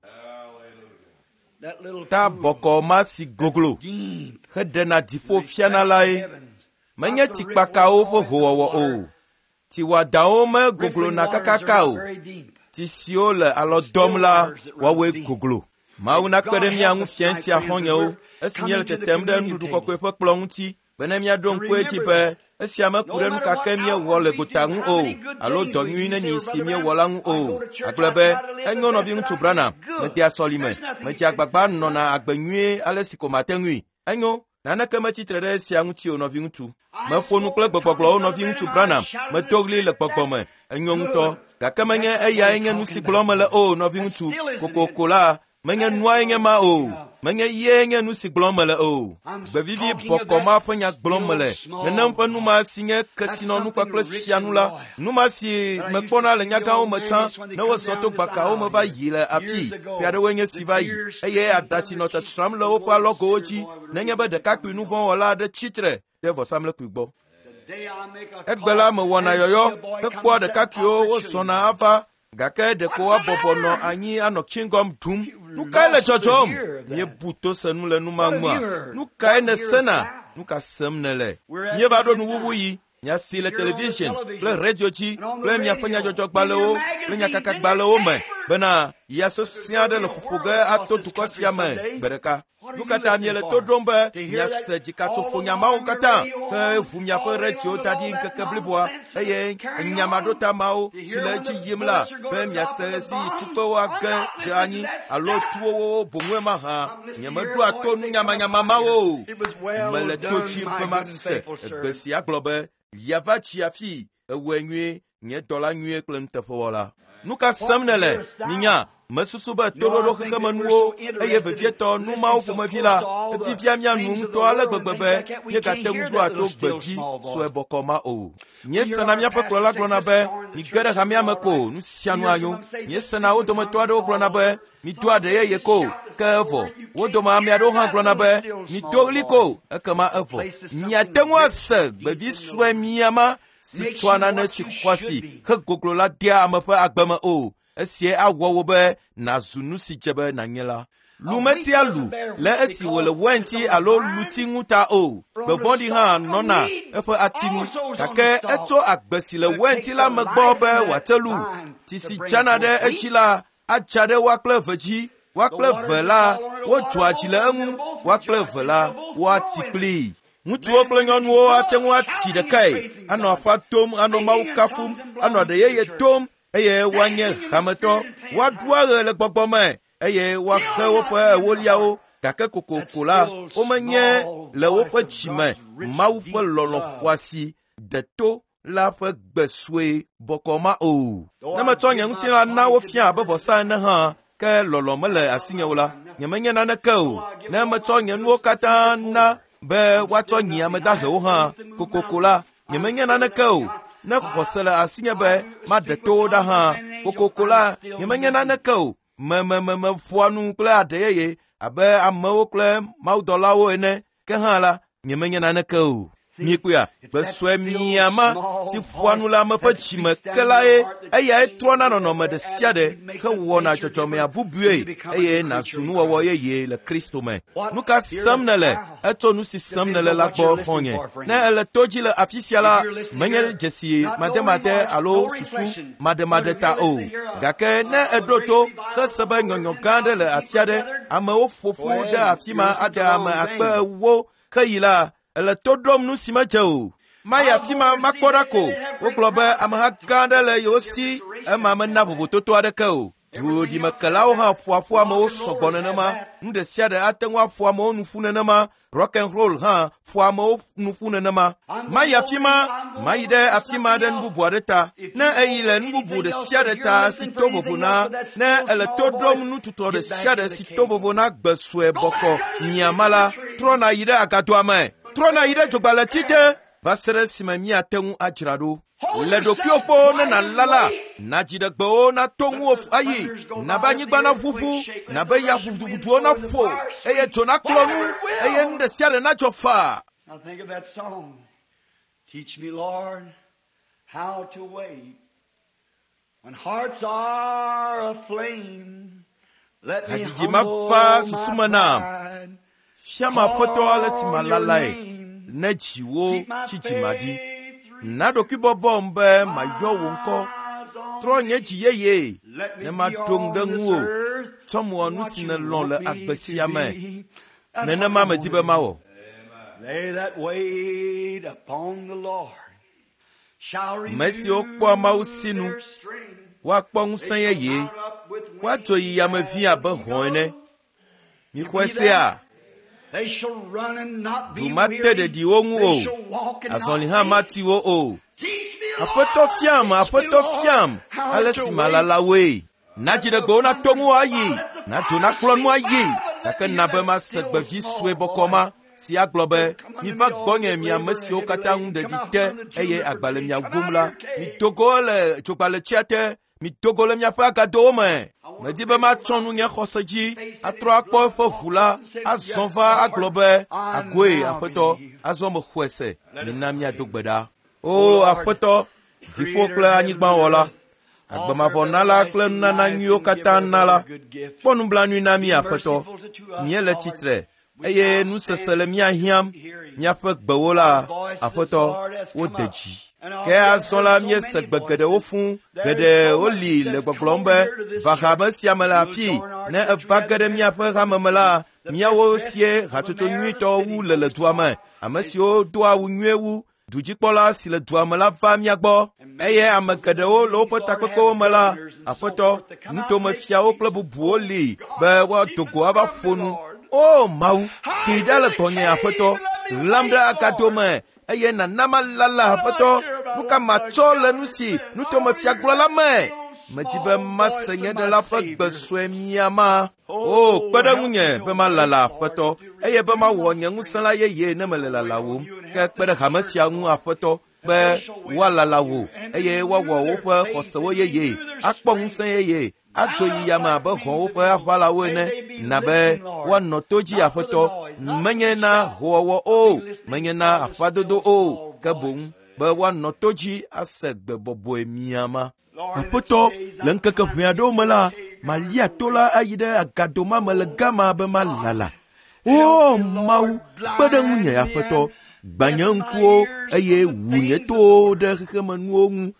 Ta bɔkɔ ma si goglo heɖena dziƒo fiana lae menye tsikpakawo ƒe howɔwɔ o. Tsi wɔadawo megoglona kakaka o. Tsi siwo le alɔ dɔm la woawoe goglo. Mawu nakpe ɖe mía ŋu fiẽ sia xɔ̃nyewo esi míele tetem ɖe nuɖuɖu kɔkɔe ƒe kplɔ̃ ŋuti bene míaɖo ŋku edzi be esia meku ɖe nu ka ke míewɔ le gota ŋu o alo dɔ nyui neni si míewɔ la ŋu o. Agblɔ be, enyo nɔviŋutsu Branham, medea sɔlime, medzea agbagba nɔna agbe nyuie ale si ko mate ŋui. Enyo, naneke metsitre ɖe esia ŋuti o nɔviŋutsu. Meƒo nu kple gbegbɔgblɔwo nɔviŋutsu Branham, medo ɣli le gbɔgbɔ me. Enyo ŋutɔ, gake menye eyae nye nu si gblɔm mele o nɔviŋutsu. Kokoko la, menye nuae nye ma o. Menye ye nye nu si gblɔm mele o. Gbevivi bɔkɔ ma ƒe nya gblɔm mele. Nenem ƒe nu ma si nye kesinɔnu kpakple fianu la, nu ma si mekpɔna le nyagãwo me tsã ne wozɔ to gbakawo me va yi le afii ƒe aɖewoe nye si va yi eye aɖatsi nɔ tsatsram le woƒe alɔgowo dzi nenye be ɖekakpui nu vɔ̃ wɔla aɖe tsitre ɖe vɔsamlekpui gbɔ. Egbe la mewɔna yɔyɔ hekpɔa ɖekakpuiwo wozɔna ava gake ɖeko woabɔbɔ nɔ anyi anɔ chewing-gum ɖum. Nu kae le dzɔdzɔm? Míebu to se nu le nu ma ŋua? Nu kae nèsena? Nu ka sem nèle? Míeva ɖo nuwuwu yi. Nya si le television kple radio dzi kple miaƒe nyadzɔdzɔgbalẽwo kple nyakakagbalẽwo me bena ya sesẽ aɖe le ƒoƒo ge ato dukɔ sia me gbe ɖeka. Nu ka ta miele to ɖom be miase dzikatsoƒonya mawo katã ke ʋu miaƒe radio da ɖi ŋkeke bliboa eye nyamaɖota mawo si le edzi yim la be miase ɣesi yi tukpewo age dze anyi alo tuwo boŋue mahã. Nyemeɖoa to nunyamanyama mawo o. Mele to dzi be mase egbe sia gblɔ be yava tsi afii ewɔe nyuie nye dɔla nyuie kple nuteƒewɔla. Nu ka sem nèle? Minya, mesusu be toɖoɖo xexemenuwo eye vevietɔ nu mawo ƒomevi la evivia mía nu ŋutɔ ale gbegbe be míegate ŋu ɖoa to gbevi sue bɔkɔ ma o. Míesena míaƒe kplɔla gblɔna be mige ɖe hamea me ko nu sia nu anyo. Míesena wo dometɔ aɖewo gblɔna be mido aɖe yeye ko ke evɔ. Wo dome ame aɖewo hã gblɔna be mido ɣli ko ekema evɔ. Miate ŋu ase gbevi sue mia ma si tsɔa nane si xɔasi hegoglo la dea ame ƒe agbe me o. Esia awɔ wò be nàzu nu si dze be nànye la. Lu metia lu le esi wòle wainti alo luti ŋu ta o. Gbe vɔ̃ɖi hã nɔna eƒe ati ŋu. Gake etso agbe si le wainti la me gbɔ be wòate lu. Tsi si dzana ɖe edzi la adza ɖe woa kple eve dzi. Woa kple eve la wodzɔa dzi le eŋu. Woa kple eve la woati kplii. Ŋutsuwo kple nyɔnuwo ate ŋu ati ɖekae, anɔ aƒa tom, anɔ Mawu kafum, anɔ aɖe yeye tom eye woanye hametɔ. Woaɖu aɣe le gbɔgbɔ me eye woaxe woƒe ewoliawo gake kokoko la womenye le woƒe dzi me Mawu ƒe lɔlɔ̃ xɔasi deto la ƒe gbe sue bɔkɔ ma o. Ne metsɔ nye ŋutilã na wofia abe vɔsa ene hã, ke lɔlɔ̃ mele asinye o la, nyemenye naneke o. Ne metsɔ nye nuwo katã na be woatsɔ nyi ame dahewo hã, kokoko la, nyemenye naneke o. Ne xɔse le asinye be maɖe towo ɖa hã, kokoko la, nyemenye naneke o. Memememeƒoa nu kple aɖe yeye abe amewo kple mawudɔlawo ene, ke hã la, nyemenye naneke o. Mikpɔea, gbe sue miama si ƒoa nu le ame ƒe dzime ke lae eyae trɔna nɔnɔme ɖe sia ɖe hewɔna dzɔdzɔmea bubue eye nàzu nuwɔwɔ yeye le Kristo me. Nu ka sem nèle? Etso nu si sem nèle la gbɔ xɔ̃nye. Ne èle to dzi le afi sia la, menye dzesi mademade alo susu mademade ta o. Gake ne èɖo to hese be nyɔnyɔ gã aɖe le afi aɖe, amewo ƒo ƒu ɖe afi ma ade ame akpe ewo heyi la, èle to ɖom nu si medze o. Mayi afi ma makpɔ ɖa ko. Wogblɔ be ameha gã aɖe le yewo si, ema mena vovototo aɖeke o. Duɖimekelawo hã ƒoa ƒu amewo sɔgbɔ nenema. Nu ɖe sia ɖe ate ŋu aƒo amewo nu ƒu nenema. Rock and roll hã ƒoa amewo nu ƒu nenema. Mayi afi ma, mayi ɖe afi ma ɖe nu bubu aɖe ta. Ne èyi le nu bubu ɖe sia ɖe ta si to vovo na, ne èle to ɖom nu tutɔ ɖe sia ɖe si to vovo na gbe sue bɔkɔ miama la, trɔ nàyi ɖe agadoa me. Trɔ nàyi ɖe dzogbalẽti te va se ɖe esime míate ŋu adzra ɖo. Le ɖokuiwò kpɔ ne nàlala, nàdzi ɖe gbewo nato ŋuwò ayi, nabe anyigba naʋuʋu, nabe ya ʋuduʋuduwo naƒo, eye dzo nakplɔ nu, eye nu ɖe sia ɖe nadzɔ faa. Now think of that song. Teach me, Lord, how to wait. When hearts are aflame, let me Hadzidzi ma humble va my susu me nam. pride. Fiam Aƒetɔ ale si Call malalae your name. ne dziwo Keep my tsi dzimaɖi. faith Na ɖokuibɔbɔm be mayɔ wò ŋkɔ. eyes on Trɔ nye dzi yeye Let me ne be maɖo ŋu ɖe on this ŋuwò. earth Tsɔm wɔ nu what si you nèlɔ̃ want le me agbe to sia me. be. That's Nenema what I medi want be to do. mawɔ. Lay that weight upon the Lord. Shall Ame siwo kpɔa Mawu sinu, renew their strength. woakpɔ ŋusẽ They shall yeye, mount up with wings woadzo yi yame vi abe hɔ̃ ene. as eagles. Mixɔe sea, They shall run and not du be mate weary. ɖeɖi wo ŋu They o, shall walk and azɔli not hã faint. mati wo o. Teach me, Aƒetɔ Lord, fiam, teach me, Aƒetɔ Lord, fiam, how ale to si wait. malala woe. Na dziɖegbewo nato ŋu ayi, na dzo nakplɔ nu ayi, gake na be mase gbe vi sue bɔkɔ ma si agblɔ be, miva gbɔnye mi ame siwo katã ŋu ɖeɖi te eye agba le mia wum la, mido go le dzogbaletsia te, mido go le miaƒe agadowo me. Medi be matsɔ nu nye xɔse dzi, atrɔ akpɔ eƒe ʋu la, azɔ va agblɔ be, agoe Aƒetɔ, azɔ mexɔe se, mina míado gbe ɖa. O Aƒetɔ, dziƒo kple anyigbawɔla, agbemavɔnala kple nunana nyuiwo katã nala, kpɔ nublanui na mí Aƒetɔ. Míele tsitre eye nusese le mía hiãm. Míaƒe gbewo la, Aƒetɔ, wode dzi. Ke azɔ la míese gbe geɖewo fũ, geɖe woli le gbɔgblɔm be, va hame sia me le afii, ne eva ge ɖe míaƒe hame me la, míawo sie hatsotso nyuitɔ wu le le dua me. Ame siwo doa awu nyuie wu, dudzikpɔla si le dua me la va mía gbɔ eye ame geɖewo le woƒe takpekpewo me la, Aƒetɔ, nutomefiawo kple bubuwo li be woado go ava ƒo nu. O Mawu, tee ɖa le gbɔnye Aƒetɔ, ɣlam ɖe agado me eye nàna malala Aƒetɔ. Nu ka matsɔ le nu si nutomefia gblɔ la me? Medi be mase nye ɖela ƒe gbe sue miama. O, kpe ɖe ŋunye be malala Aƒetɔ, eye be mawɔ nye ŋusẽ la yeye ne mele lalawòm. Ke kpe ɖe hame sia ŋu Aƒetɔ, be woalala wò eye woawɔ woƒe xɔsewo yeye, akpɔ ŋusẽ yeye, adzo yi yame abe hɔ̃wo ƒe aʋalawo ene, na be woanɔ to dzi Aƒetɔ, menye na hoowɔwɔ o, menye na aƒadodo o, ke boŋ be woanɔ to dzi ase gbe bɔbɔe miama. Aƒetɔ, le ŋkeke ʋɛ aɖewo me la, malia to la ayi ɖe agado ma me le gama be malala. O Mawu, kpe ɖe ŋunye Aƒetɔ, gbã nye ŋkuwo eye wu nye towo ɖe xexemenuwo ŋu,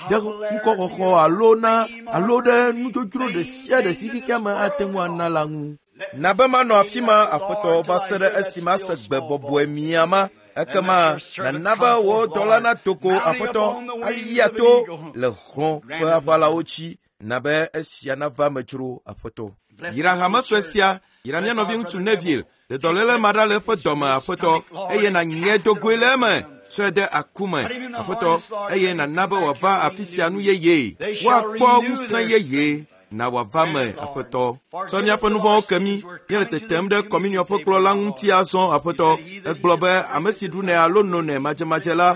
ɖe ŋkɔxɔxɔ alo na alo ɖe nudzodzro ɖe sia ɖe si xexea me ate ŋu ana la ŋu. Na be manɔ afi ma Aƒetɔ va se ɖe esime ase gbe bɔbɔe miama. Ekema nàna be wò dɔla nato go Aƒetɔ alia to le hɔ̃ ƒe aʋalawo dzi. Na be esia nava me dzro Aƒetɔ. Yra hame sue sia, yra mía nɔviŋutsu Neville, ɖe dɔléle ma ɖa le eƒe dɔme Aƒetɔ, eye nànyẽ do goe le eme, tsɔe de aku me Aƒetɔ, eye nàna be wòava afi sia nu yeye, woakpɔ ŋusẽ yeye. Na wòava me Aƒetɔ. Tsɔ míaƒe nu vɔ̃wo ke mí. Míele tetem ɖe kɔminiɔ ƒe kplɔ̃ la ŋuti azɔ Aƒetɔ. Egblɔ be ame si ɖunɛ alo nonɛ madzemadze la,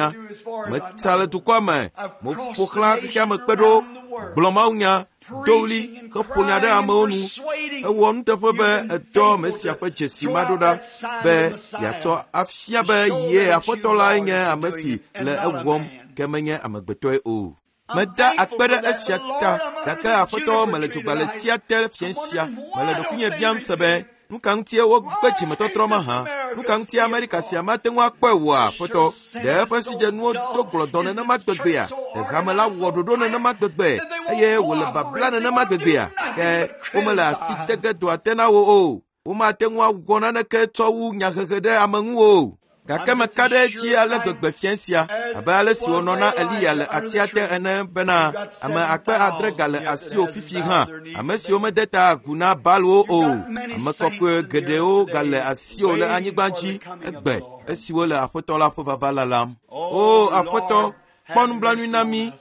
menya. Metsa le dukɔa me, meƒo xlã xexea me kpe ɖo, gblɔ mawunya, do ɣli heƒo nya ɖe amewo nu. Ewɔ nuteƒe be edɔ Mesia ƒe dzesi ma ɖo ɖa be yeatsɔ afia be ye Aƒetɔ lae nye ame si le ewɔm ke menye amegbetɔe o. Meda akpe ɖe esia ta, gake Aƒetɔ mele dzogbaletsia te fiẽ sia. Mele ɖokuinye biam se be, nu ka ŋutie wogbe dzimetɔtrɔ mahã? Nu ka ŋutie Amerika sia mate ŋu akpɔe oa, Aƒetɔ? Ɖe eƒe sidzenuwo do gblɔdɔ nenema gbegbea? Ɖe hame la wɔ ɖoɖo nenema gbegbe eye wòle babla nenema gbegbea? Ke womele asi de ge doa te na wo o. Womate ŋu awɔ naneke tsɔ wu nyahehe ɖe ame ŋu o. Gake meka ɖe edzi ale gbegbe fiẽ sia, abe ale si wònɔ na Eliya le atia te ene bena ame 6,000 gale asiwò fifi hã, ame siwo mede ta agu na Baalwo o. Ame kɔkɔe geɖewo gale asiwò le anyigba dzi egbe esiwo le Aƒetɔ la ƒe vava lalam. O Aƒetɔ, kpɔ nublanui na mí.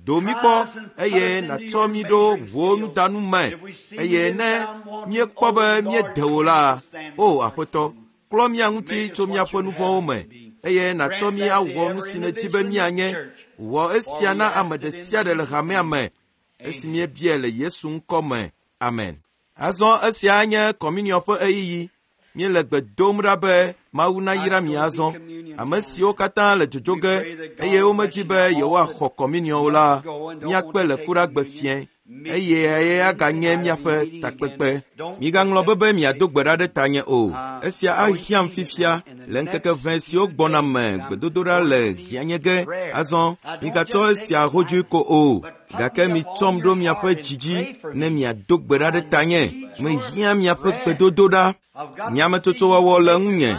Do mí kpɔ eye nàtsɔ mí ɖo wò nudanu me eye ne míekpɔ be míede wò la, o Aƒetɔ, klɔ mía ŋuti tso míaƒe nu vɔ̃wo me eye nàtsɔ mí awɔ nu si nèdi be míanye. Wɔ esia na ame ɖe sia ɖe le hamea me esi míebiae le Yesu ŋkɔ me. Amen. Azɔ esia nye kɔminiɔ ƒe ɣeyiɣi. Míele gbe dom ɖa be Mawu nayra mi azɔ. Ame siwo katã le dzodzo ge eye womedi be yewoaxɔ kɔminiɔ o la, míakpe le kuɖagbe fiẽ eye aganye míaƒe takpekpe. Migaŋlɔ be be miado gbe ɖa ɖe tanye o. Esia ahiãm fifia le ŋkeke ʋɛ siwo gbɔna me gbedodoɖa le hiãnye ge. Azɔ migatsɔ esia hodzoe ko o, gake mitsɔm ɖo miaƒe dzi dzi ne miado gbe ɖa ɖe tanye. Mehiã miaƒe gbedodoɖa. Nyametsotsowɔwɔ le ŋunye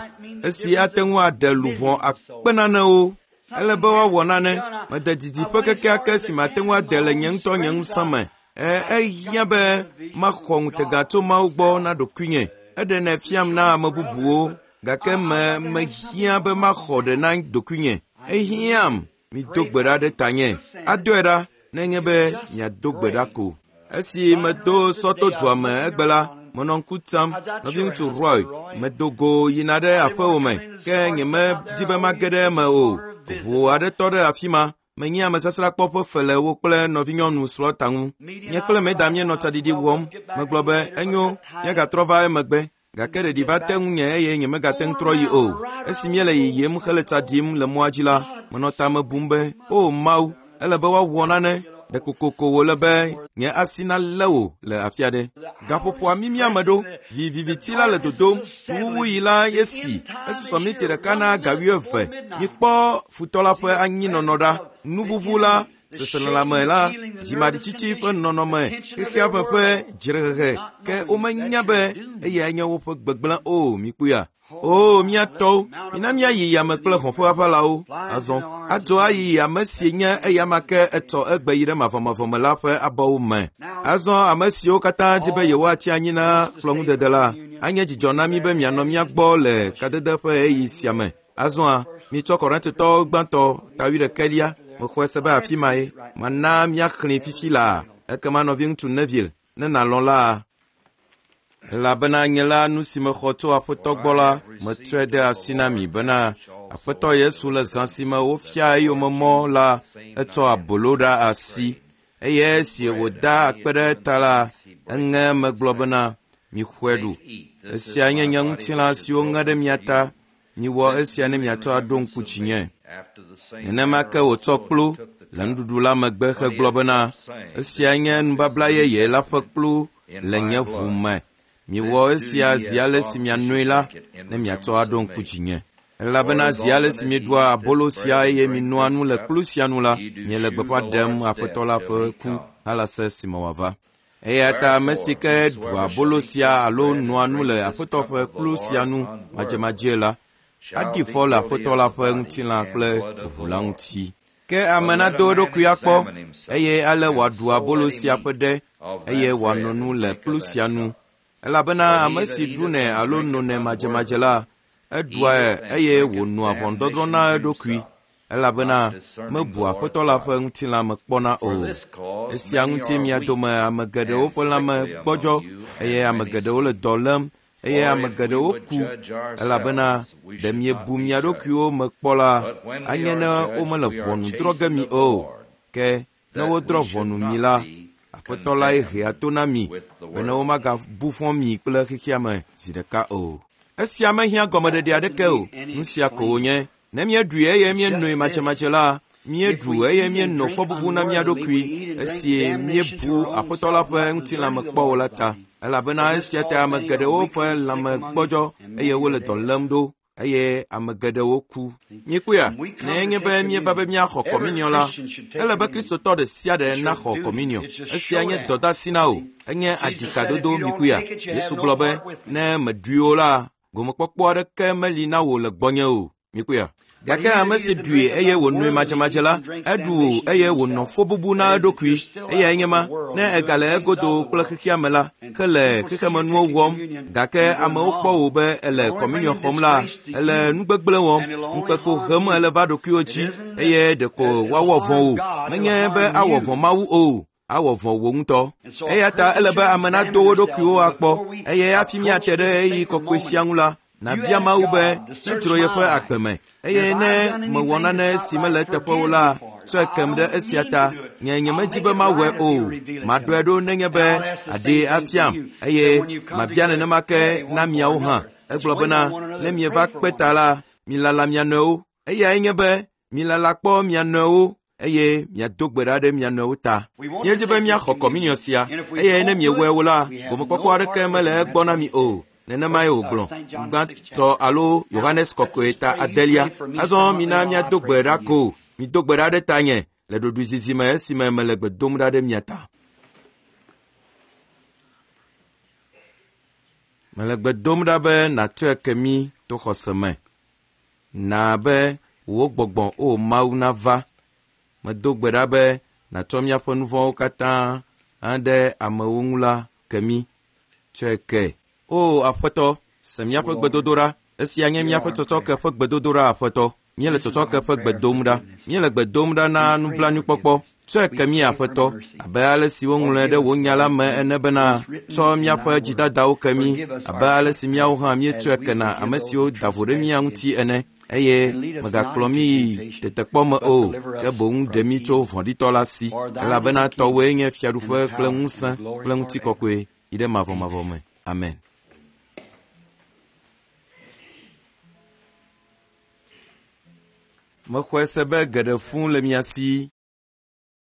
esi ate ŋu aɖe luʋɔ akpe nanewo. Ele be woawɔ nane. Mede didiƒe kekeake si mate ŋu ade le nye ŋutɔ nye ŋusẽ me. Ehiã be maxɔ ŋutega tso Mawu gbɔ na ɖokuinye. Eɖenɛ fiam na ame bubuwo, gake me mehiã be maxɔ ɖe na ɖokuinye. Ehiãm. Mido gbe ɖa ɖe tanye. Adoe ɖa nenye be miado gbe ɖa ko. Esi medo sɔto dua me egbe la, menɔ ŋku tsam. Nɔviŋutsu Roy, medo go yina ɖe aƒewò me, ke nyemedi be mage ɖe eme o. Ʋu aɖe tɔ ɖe afi ma. Menye amesasrakpɔ ƒe fe le wo kple nɔvinyɔnu Slaughter ŋu. Nye kple Meda míenɔ tsaɖiɖi wɔm. Megblɔ be, enyo, míagatrɔ va emegbe. Gake ɖeɖi va te ŋunye eye nyemegate ŋu trɔ yi o. Esi míele yiyim hele tsa ɖim le mɔa dzi la, menɔ tame bum be, o Mawu, ele be woawɔ nane. Ɖe kokoko wòle be nye asi nalé wò le afi aɖe. Gaƒoƒoa mimi ame ɖo. Viviti la le dodom. Nuwuwuɣi la ye si. Esusɔ miniti ɖeka na ga 20. Mikpɔ futɔ la ƒe anyinɔnɔ ɖa. Nuʋuʋu la, seselelãme la, dzimaɖitsitsi ƒe nɔnɔme, xexea ƒe ƒe dzrehehe, ke womenya be eyae nye woƒe gbegblẽ o. Mikpɔea? O, mía tɔwo, mina míayi yame kple hɔ̃ ƒe aʋalawo. Azɔ adzo ayi ame si nye eyama ke etsɔ egbe yi ɖe mavɔmavɔ me la ƒe abɔwo me. Azɔ ame siwo katã di be yewoatsi anyi na kplɔ̃ŋudede la, anye dzidzɔ na mí be mianɔ mía gbɔ le kadede ƒe ɣeyiɣi sia me. Azɔa, mitsɔ Korintotɔwo gbãtɔ ta 11, mexɔe se be afi mae. Mana míaxlẽe fifi laa. Ekema nɔviŋutsu Neville, ne nàlɔ̃ la, elabena nye la nu si mexɔ tso Aƒetɔ gbɔ la, metsɔe de asi na mi bena Aƒetɔ Yesu le zã si me wofia eyome mɔ la, etsɔ abolo ɖe asi eye esi wòda akpe ɖe eta la, eŋe eme gblɔ bena, mixɔe ɖu. Esia nye nye ŋutilã si woŋe ɖe mia ta. Miwɔ esia ne miatsɔ aɖo ŋku dzinye. Nenema ke wòtsɔ kplu le nuɖuɖu la megbe hegblɔ bena, esia nye nubabla yeye la ƒe kplu le nye ʋu me. Miwɔ esia zi ale si mianoe la, ne miatsɔ aɖo ŋku dzinye. Elabena zi ale si mieɖua abolo sia eye minoa nu le kplu sia nu la, miele gbeƒã ɖem Aƒetɔ la ƒe ku halase esime wòava. Eya ta ame si ke ɖua abolo sia alo noa nu le Aƒetɔ ƒe kplu sia nu madzemadzee la, aɖi fɔ le Aƒetɔ la ƒe ŋutilã kple ʋu la ŋuti. Ke ame nado eɖokui akpɔ, eye ale wòaɖu abolo sia ƒe ɖe, eye wòano nu le kplu sia nu. Elabena ame si ɖunɛ alo nonɛ madzemadze la, eɖuae eye wònoa ʋɔnudɔdrɔ̃ na eɖokui, elabena mebu Aƒetɔ la ƒe ŋutilã me kpɔna o. Esia ŋuti mia dome ame geɖewo ƒe lãme gbɔdzɔ, eye ame geɖewo le dɔ lém, eye ame geɖewo ku, elabena ɖe miebu mia ɖokuiwo me kpɔ la, anye ne womele ʋɔnu drɔ̃ ge mi o. Ke ne wodrɔ̃ ʋɔnu mi la, Aƒetɔ lae hea to na mi bene womagabu fɔ mi kple xexea me zi ɖeka o. Esia mehiã gɔmeɖeɖe aɖeke o. Nu sia ko wònye. Ne míeɖui eye míenoe madzemadze la, Míeɖu eye míenɔ fɔbubu na mía ɖokui esi míebu Aƒetɔ la ƒe ŋutilãme kpɔ o la ta, elabena esia ta ame geɖewo ƒe lãme gbɔdzɔ eye wole dɔ lém ɖo eye ame geɖewo ku. Míekpɔea? Ne enye be míeva be míaxɔ kɔminiɔ la, ele be Kristotɔ ɖe sia ɖe naxɔ kɔminiɔ. Esia nye dɔdeasi na wò, enye aɖikadodo míkpɔea? Yesu gblɔ be, ne mèɖui o la, gomekpɔkpɔ aɖeke meli na wò le gbɔnye o. Míkpɔea? Gake ame si ɖui eye wònoe madzemadze la, eɖu eye wònɔ fɔbubu na eɖokui. Eyae nye ma, ne egale egodo kple xexea me la, ke le xexemenuwo wɔm, gake amewo kpɔ wò be èle kɔminiɔ xɔm la, èle nu gbegblẽ wɔm, ŋukpeko hem èle va ɖokuiwò dzi eye ɖeko woawɔ vɔ̃ wò. Menye be awɔ vɔ̃ Mawu o, awɔ vɔ̃ wò ŋutɔ. Eya ta ele be ame nado wo ɖokuiwo akpɔ, eye hafi míate ɖe ɣeyiɣi kɔkɔe sia ŋu la, nàbia Mawu be nedzro yeƒe agbe me, eye ne mewɔ nane si mele eteƒe o la, tsɔe kem ɖe esia ta. Nye nyemedi be mawɔe o. Maɖɔe ɖo nenye be àɖee afiam, eye mabia nenema ke na miawo hã. Egblɔ bena, ne mieva kpe ta la, milala mia nɔewo. Eyae nye be milala kpɔ mia nɔewo eye miado gbe ɖa ɖe mia nɔewo ta. Míedi be míaxɔ kɔminiɔ sia, eye ne miewɔe o la, gomekpɔkpɔ aɖeke mele egbɔ na mi o. Nenemae wògblɔ. Gbãtɔ alo Yohanes Kɔkɔe ta adelia. Azɔ mina míado gbe ɖa ko. Mido gbe ɖa ɖe tanye le ɖoɖoezizi me esime mele gbe dom ɖa ɖe mia ta. Mele gbe dom ɖa be nàtsɔe ke mí to xɔse me. Na be wò gbɔgbɔ, o Mawu, nava. Medo gbe ɖa be nàtsɔ míaƒe nu vɔ̃wo katã aɖe amewo ŋu la ke mí. Tsɔe ke. O Aƒetɔ, se míaƒe gbedodoɖa. Esia nye míaƒe tsɔtsɔke ƒe gbedodoɖa, Aƒetɔ. Míele tsɔtsɔke ƒe gbe dom ɖa. Míele gbe dom ɖa na nublanuikpɔkpɔ. Tsɔe ke mí, Aƒetɔ, abe ale si woŋlɔe ɖe wò nya la me ene bena, tsɔ míaƒe dzidadawo ke mí, abe ale si míawo hã míetsɔe kena ame siwo da vo ɖe mía ŋuti ene. Eye mègakplɔ mí yi tetekpɔ me o, ke boŋ ɖe mí tso vɔ̃ɖitɔ la si, elabena tɔwòe nye fiaɖuƒe kple ŋusẽ kple ŋutikɔkɔe yi ɖe mavɔmavɔ me. Amen. Mexɔe se be geɖe fũu le mia si.